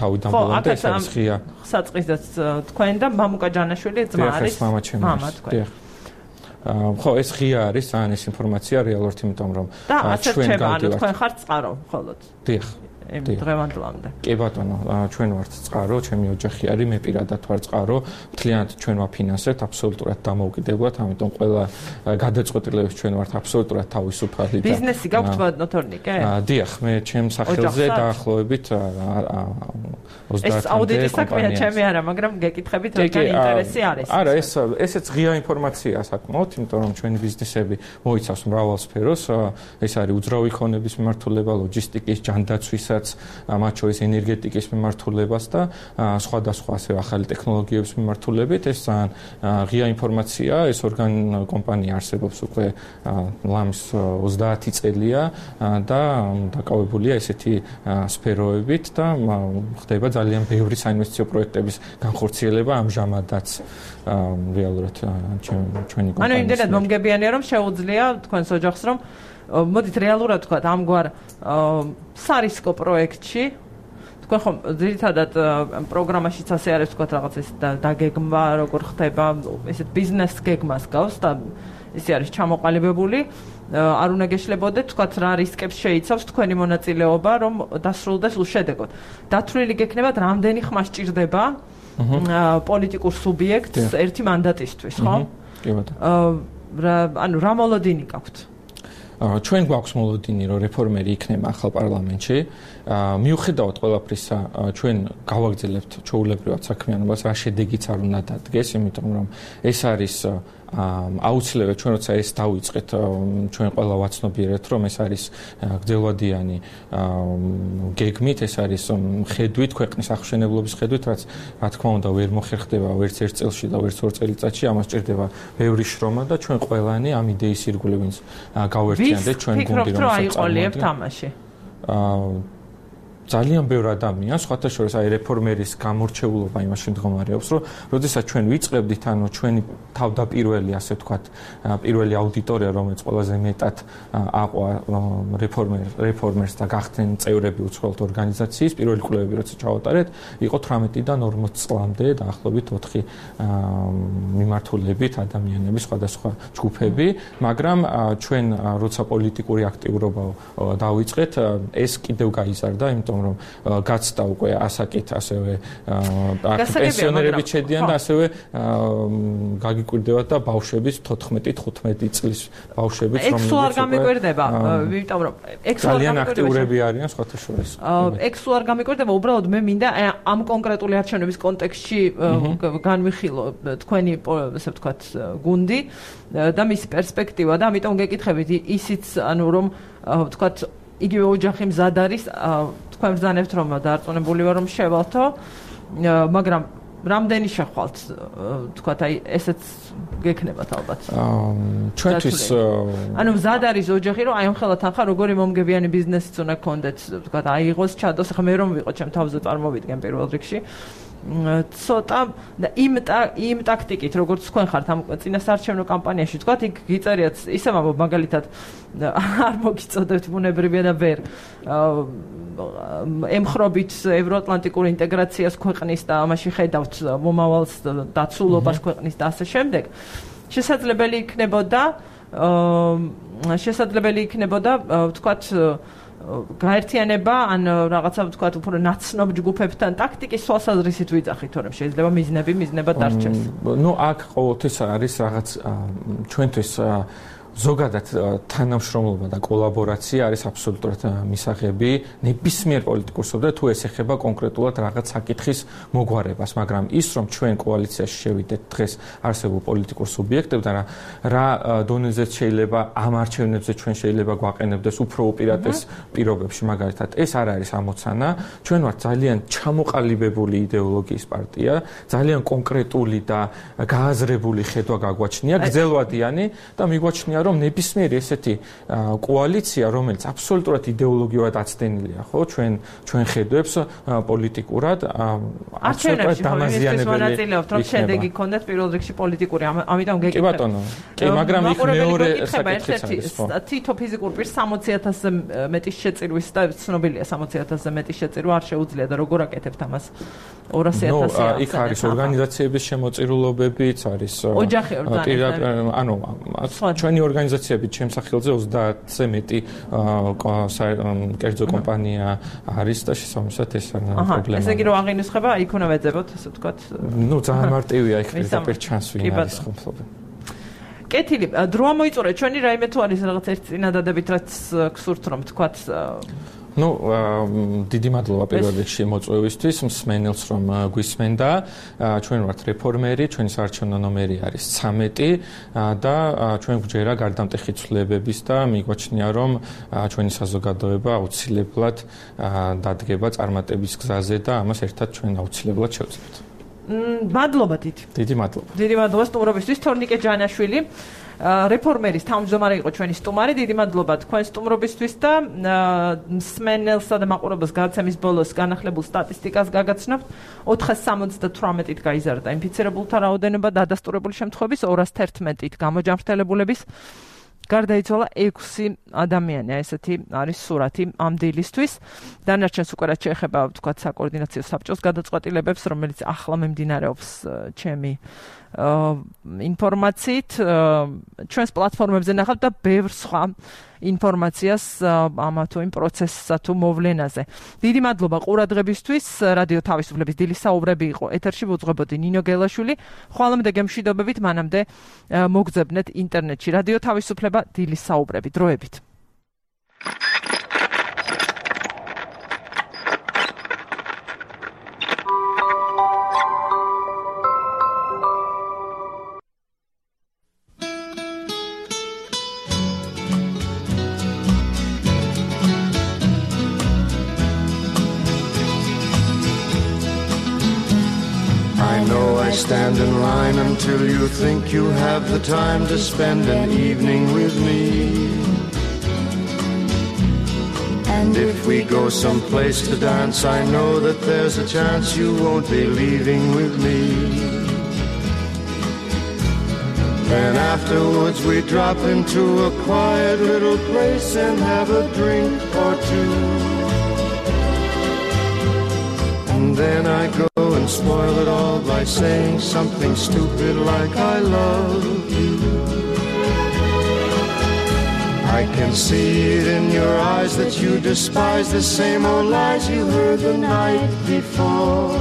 თავიდან ბოლომდე ეს არის ღია. საწყისდაც თქვენ და მამუკა ჯანაშვილი ძმა არის? მამა თქვენ. ხო, ეს ღია არის, ძალიან ეს ინფორმაცია რეალურად, იმიტომ რომ ჩვენ გავდივართ. თქვენ ხართ წყარო, მხოლოდ. დიახ. დღევანდლამდე. კი ბატონო, ჩვენ ვართ წყარო, ჩემი ოჯახი არის, მე პირადად ვარ წყარო, მთლიანად ჩვენ ვაფინანსებთ, აბსოლუტურად დამოუკიდებლად, ამიტომ ყველა გადაწყვეტილებებს ჩვენ ვართ აბსოლუტურად თავისუფალი და ბიზნესი გაქვთ ვადნოთორნიკე? დიახ, მე ჩემს სახელზე დაახლოებით 30-მდე ეს აუდიტის საქმეა ჩემი არა, მაგრამ გეკითხებით რადგან ინტერესი არის. არა, ესეც ღია ინფორმაცია საკმაოდ, იმიტომ რომ ჩვენი ბიზნესები მოიცავს მრავალ სფეროს, ეს არის უძრავი ქონების მიმართულება, ლოჯისტიკის, ჯანდაცვისა, მათ შორის ენერგეტიკის მიმართულებას და სხვადასხვა ასე ახალი ტექნოლოგიების მიმართულებით. ეს ძალიან ღია ინფორმაცია, ეს კომპანია არსებობს უკვე ლამის 30 წელია და დაკავებულია ესეთი სფეროებით და ხდება ძალიან ბევრი საინვესტიციო პროექტების განხორციელება ამჟამადაც რეალურად ჩვენი კომპანია. ანუ იმდენად მომგებიანია, რომ შეუძლია თქვენს ოჯახს, რომ მოდით რეალურად თქვა ამგვარ სარისკო პროექტში თქვენ ხომ ძირითადად პროგრამაშიც ასე არის თქვა რაღაც ეს დაგეგმა როგორ ხდება ესეთ ბიზნეს გეგმას გავს და ესე არის ჩამოყალიბებული არ უნდა გეშლებოდეთ თქვა რა რისკებს შეიცავს თქვენი მონაწილეობა რომ დასრულდეს უშედეგოდ დათვლილი გექნებათ რამდენი ხმა სჭირდება პოლიტიკურ სუბიექტს ერთი მანდატისთვის ხო? კი ბატონო. ანუ რა მოლოდინი გაქვთ? ჩვენ გვაქვს მოლოდინი, რომ რეფორმერი იქნება ახალ პარლამენტში. მიუხედავად ყველაფრისა, ჩვენ გავაგრძელებთ ჩვეულებრივად საქმიანობას, რა შედეგიც არ უნდა დადგეს, იმიტომ რომ ეს არის აუცილებლად ჩვენ როცა ეს დავიწყეთ, ჩვენ ყველა ვაცნობიერეთ, რომ ეს არის გრძელვადიანი გეგმით, ეს არის ხედვით, ქვეყნის აღშენებლობის ხედვით, რაც რა თქმა უნდა ვერ მოხერხდება ვერც ერთ წელში და ვერც ორ წელიწადში, ამას სჭირდება ბევრი შრომა და ჩვენ ყველანი ამ იდეის ირგვლივ ვინც გავერთიანდეთ ჩვენ გუნდი, რომელსაც აიყოლიებთ თამაში. ძალიან ბევრ ადამიანს, სხვათა შორის აი რეფორმერის გამორჩეულობა იმაში მდგომარეობს, რომ როდესაც ჩვენ ვიწყებდით, ანუ ჩვენი თავდაპირველი, ასე ვთქვათ, პირველი აუდიტორია, რომელიც ყველაზე მეტად აყვა რეფორმერს და გახდნენ წევრები უცხოელთ ორგანიზაციის, პირველი კვლევები როცა ჩავატარეთ, იყო 18-დან 40 წლამდე დაახლოებით 4 მიმართულებით ადამიანები, სხვადასხვა ჯგუფები, მაგრამ ჩვენ როცა პოლიტიკური აქტიურობა დავიწყეთ, ეს კიდევ გაიზარდა, იმიტომ რომ გაცდა უკვე ასაკით, ასევე პენსიონერები შედიან და ასევე გაგიკვირდებათ და ბავშვების 14-15 წლის ბავშვებიც რომლებიც არ გამიკვირდება, იმიტომ რომ ძალიან აქტიურები არიან სხვათა შორის. ექსუ არ გამიკვირდება, უბრალოდ მე მინდა ამ კონკრეტული არჩევნების კონტექსტში განვიხილო თქვენი, ასე ვთქვათ, გუნდი და მისი პერსპექტივა და ამიტომ გეკითხებით ისიც, ანუ რომ ვთქვათ, იგივე ოჯახი მზად არის, თქვენ ბრძანებთ რომ დარწმუნებული ვარ რომ შევალთო, მაგრამ რამდენი შეხვალთ, ვთქვათ, აი ესეც გექნებათ ალბათ. ჩვენთვის ანუ მზად არის ოჯახი, რომ აი ამხელა თანხა როგორი მომგებიანი ბიზნესიც უნდა გქონდეთ, ვთქვათ, აიღოს, ჩადოს, ახლა მე რომ ვიყო ჩემ თავზე წარმოვიდგენ პირველ რიგში. ცოტა იმ ტაქტიკით, როგორც თქვენ ხართ ამ წინასაარჩევნო კამპანიაში, თქვათ, იქ გიწერიათ ისევ მაგალითად არ მოგიწოდებთ ბუნებრივია და ვერ ემხრობით ევროატლანტიკურ ინტეგრაციას ქვეყნის და ამაში ხედავთ მომავალს დაცულობას ქვეყნის და ასე შემდეგ. შესაძლებელი იქნებოდა, ვთქვათ, გაერთიანება ან რაღაცა ვთქვათ უფრო ნაცნობ ჯგუფებთან ტაქტიკის თვალსაზრისით ვიძახით, თორემ შეიძლება მიზნება დარჩეს. ნუ აქ ყოველთვის არის რაღაც ჩვენთვის ზოგადად თანამშრომლობა და კოლაბორაცია არის აბსოლუტურად მისაღები ნებისმიერ პოლიტიკურ სოფლად თუ ეს ეხება კონკრეტულად რაღაც საკითხის მოგვარებას, მაგრამ ის რომ ჩვენ კოალიციაში შევიდეთ დღეს არსებულ პოლიტიკურ სუბიექტებთან, რა დონეზეც შეიძლება ამ არჩევნებზე ჩვენ შეიძლება გვაყენებდეს უფრო უპირატეს პირობებში, მაგალითად ეს არ არის ამოცანა, ჩვენ ვართ ძალიან ჩამოყალიბებული იდეოლოგიის პარტია, ძალიან კონკრეტული და გააზრებული ხედვა გაგვაჩნია, გრძელვადიანი და მიგვაჩნია რომ ნებისმიერი ესეთი კოალიცია, რომელიც აბსოლუტურად იდეოლოგიურად აცდენილია, ხო, ჩვენ ხედვებს პოლიტიკურად აბსოლუტურად დამაზიანებელი. რომ შედეგი გქონდეთ პირველ რიგში პოლიტიკური, ამიტომ გეკითხება. კი ბატონო. კი, მაგრამ იქ მეორე საკითხიც არის, ხო. თითო ფიზიკურ პირს 60,000-ზე მეტი შეწირვის და ცნობილია 60,000-ზე მეტი შეწირვა არ შეუძლია და როგორ აკეთებთ ამას 200,000-ზე. იქ არის ორგანიზაციების შემოწირულობებიც, არის ოჯახი ანუ ჩვენი ორგანიზაციებით შემსახელზე 30-ზე მეტი კერძო კომპანია არის და შესაბამისად ეს პრობლემა. ესე იგი რომ აღინუსხება, იქ უნდა ვეძებოთ, ასე ვთქვათ. ნუ ძალიან მარტივია იქ პირდაპირ ჩანს ვინ არის ხმლობი. კეთილი, დრო ამოიწურეთ ჩვენი რაიმე თუ არის რაღაც ერთი წინადადებით, რაც გსურთ რომ ვთქვათ. ნუ დიდი მადლობა პირველ რიგში მოწვევისთვის, მსმენელს რომ გვისმენდა. ჩვენ ვართ რეფორმერი, ჩვენი საარჩევნო ნომერი არის 13 და ჩვენ გვჯერა გარდამტეხი ცვლილებების და მიგვაჩნია რომ ჩვენი საზოგადოება აუცილებლად დადგება წარმატების გზაზე და ამას ერთად ჩვენ აუცილებლად შევძლებთ. მადლობა დიდი. დიდი მადლობა. დიდი მადლობა სტუმრობისთვის, თორნიკე ჯანაშვილი. რეფორმერის თავმჯდომარე იყო ჩვენი სტუმარი. დიდი მადლობა თქვენ სტუმრობისთვის და მსმენელსა და მაყურებელს გადაცემის ბოლოს განახლებულ სტატისტიკას გაგაცნობთ. 478-ით გაიზარდა ინფიცირებულთა რაოდენობა, დადასტურებული შემთხვევების 211-ით გამოჯანმრთელებულების გარდაიცვალა 6 ადამიანი, ესეთი არის სურათი ამ დილისთვის. დანარჩენს უკვე რაც შეეხება, ვთქვათ, საკოორდინაციო საბჭოს გადაწყვეტილებებს, რომელიც ახლა მიმდინარეობს ჩემი ინფორმაციით, ჩვენს პლატფორმებზე ნახავთ და ბევრ სხვა ინფორმაციას ამ თუ იმ პროცესსა თუ მოვლენაზე. დიდი მადლობა ყურადღებისთვის. რადიო თავისუფლების დილის საუბრები იყო ეთერში, ვუძღვებოდი ნინო გელაშვილი. ხვალამდე გემშვიდობებით, მანამდე მოგძებნეთ ინტერნეტში რადიო თავისუფლება დილის საუბრები. დროებით. Stand in line until you think you have the time to spend an evening with me. And if we go someplace to dance, I know that there's a chance you won't be leaving with me. Then afterwards we drop into a quiet little place and have a drink or two. And then I go and spoil it all by saying something stupid like I love you. I can see it in your eyes that you despise the same old lies you heard the night before.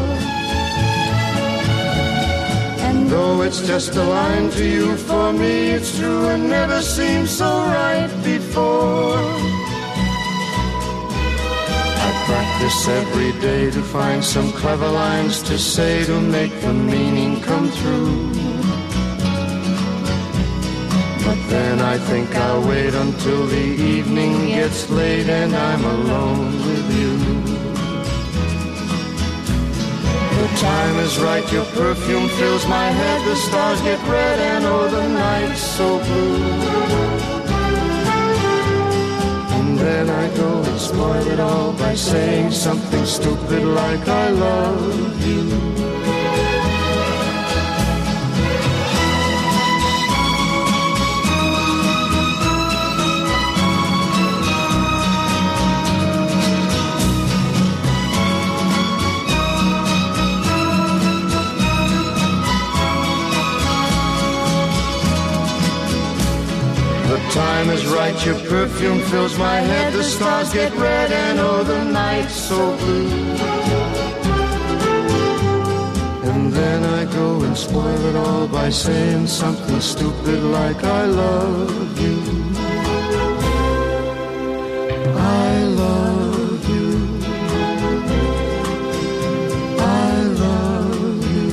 And though it's just a line to you, for me it's true and never seemed so right before. Practice every day to find some clever lines to say to make the meaning come through. But then I think I'll wait until the evening gets late and I'm alone with you. The time is right, your perfume fills my head, the stars get red and oh the night's so blue. Then I go and spoil it all by saying something stupid like I love you. The time is right, your perfume fills my head, the stars get red and oh the night's so blue. And then I go and spoil it all by saying something stupid like I love you. I love you. I love you.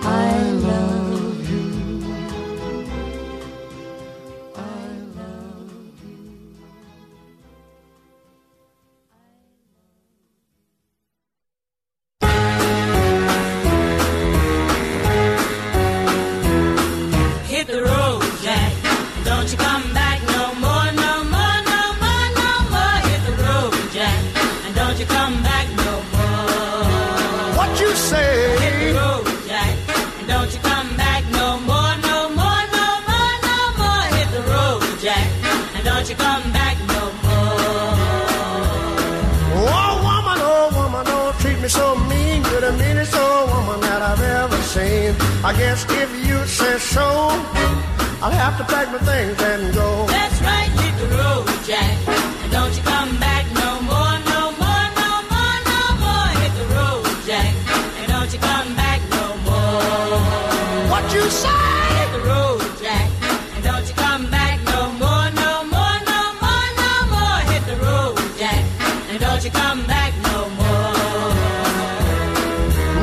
I love you. I guess if you say so, I'll have to pack my things and go. That's right, hit the road, Jack, and don't you come back no more, no more, no more, no more. Hit the road, Jack, and don't you come back no more. What you say? Hit the road, Jack, and don't you come back no more, no more, no more, no more. Hit the road, Jack, and don't you come back no more.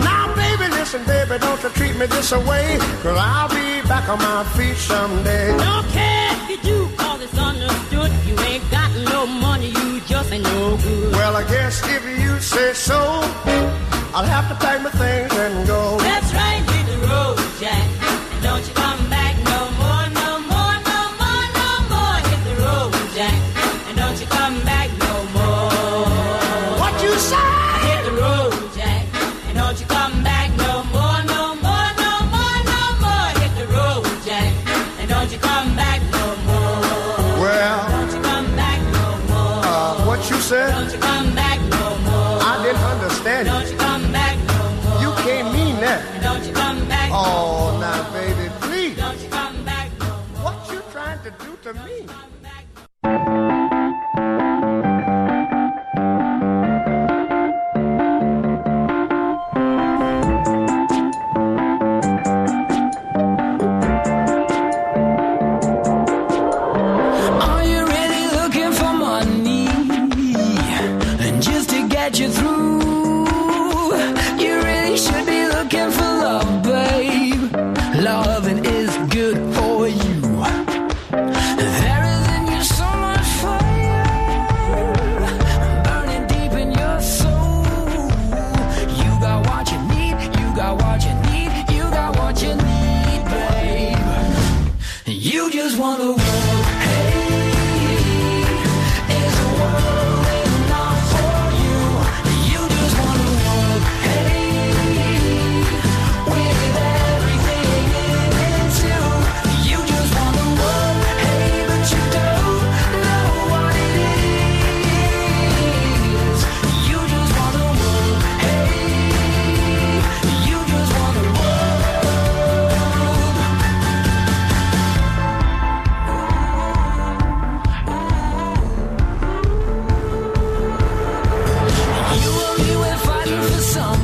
Now, baby, listen, baby, don't you treat me this way, 'cause I'll be back on my feet someday. Don't care if you do, 'cause it's understood. You ain't got no money, you just ain't no good. Well, I guess if you say so, I'll have to pack my things and go. That's right, hit the road, Jack, and don't you come back no more, no more, no more, no more. Hit the road, Jack, and don't you come back no more. What you say? Hit the road, Jack, and don't you come back no more, no more, no more, no more. Hit the road, Jack, and don't you come back no more. Well, don't you come back no more. What you said? Don't you come back no more. I didn't understand you. Don't you come back no more. You can't mean that. Don't you come back no more. Oh, now, baby, please. Don't you come back no more. What you trying to do to me? You really should be looking for love, babe. Loving is good for you. There is in you so much fire, burning deep in your soul. You got what you need, you got what you need, you got what you need, babe. You just want the world, hey. Is the world enough for you? You just want the world, hey. With everything in it too. You just want the world, hey, but you don't know what it is. You just want the world, hey. You just want the You only went fighting for some.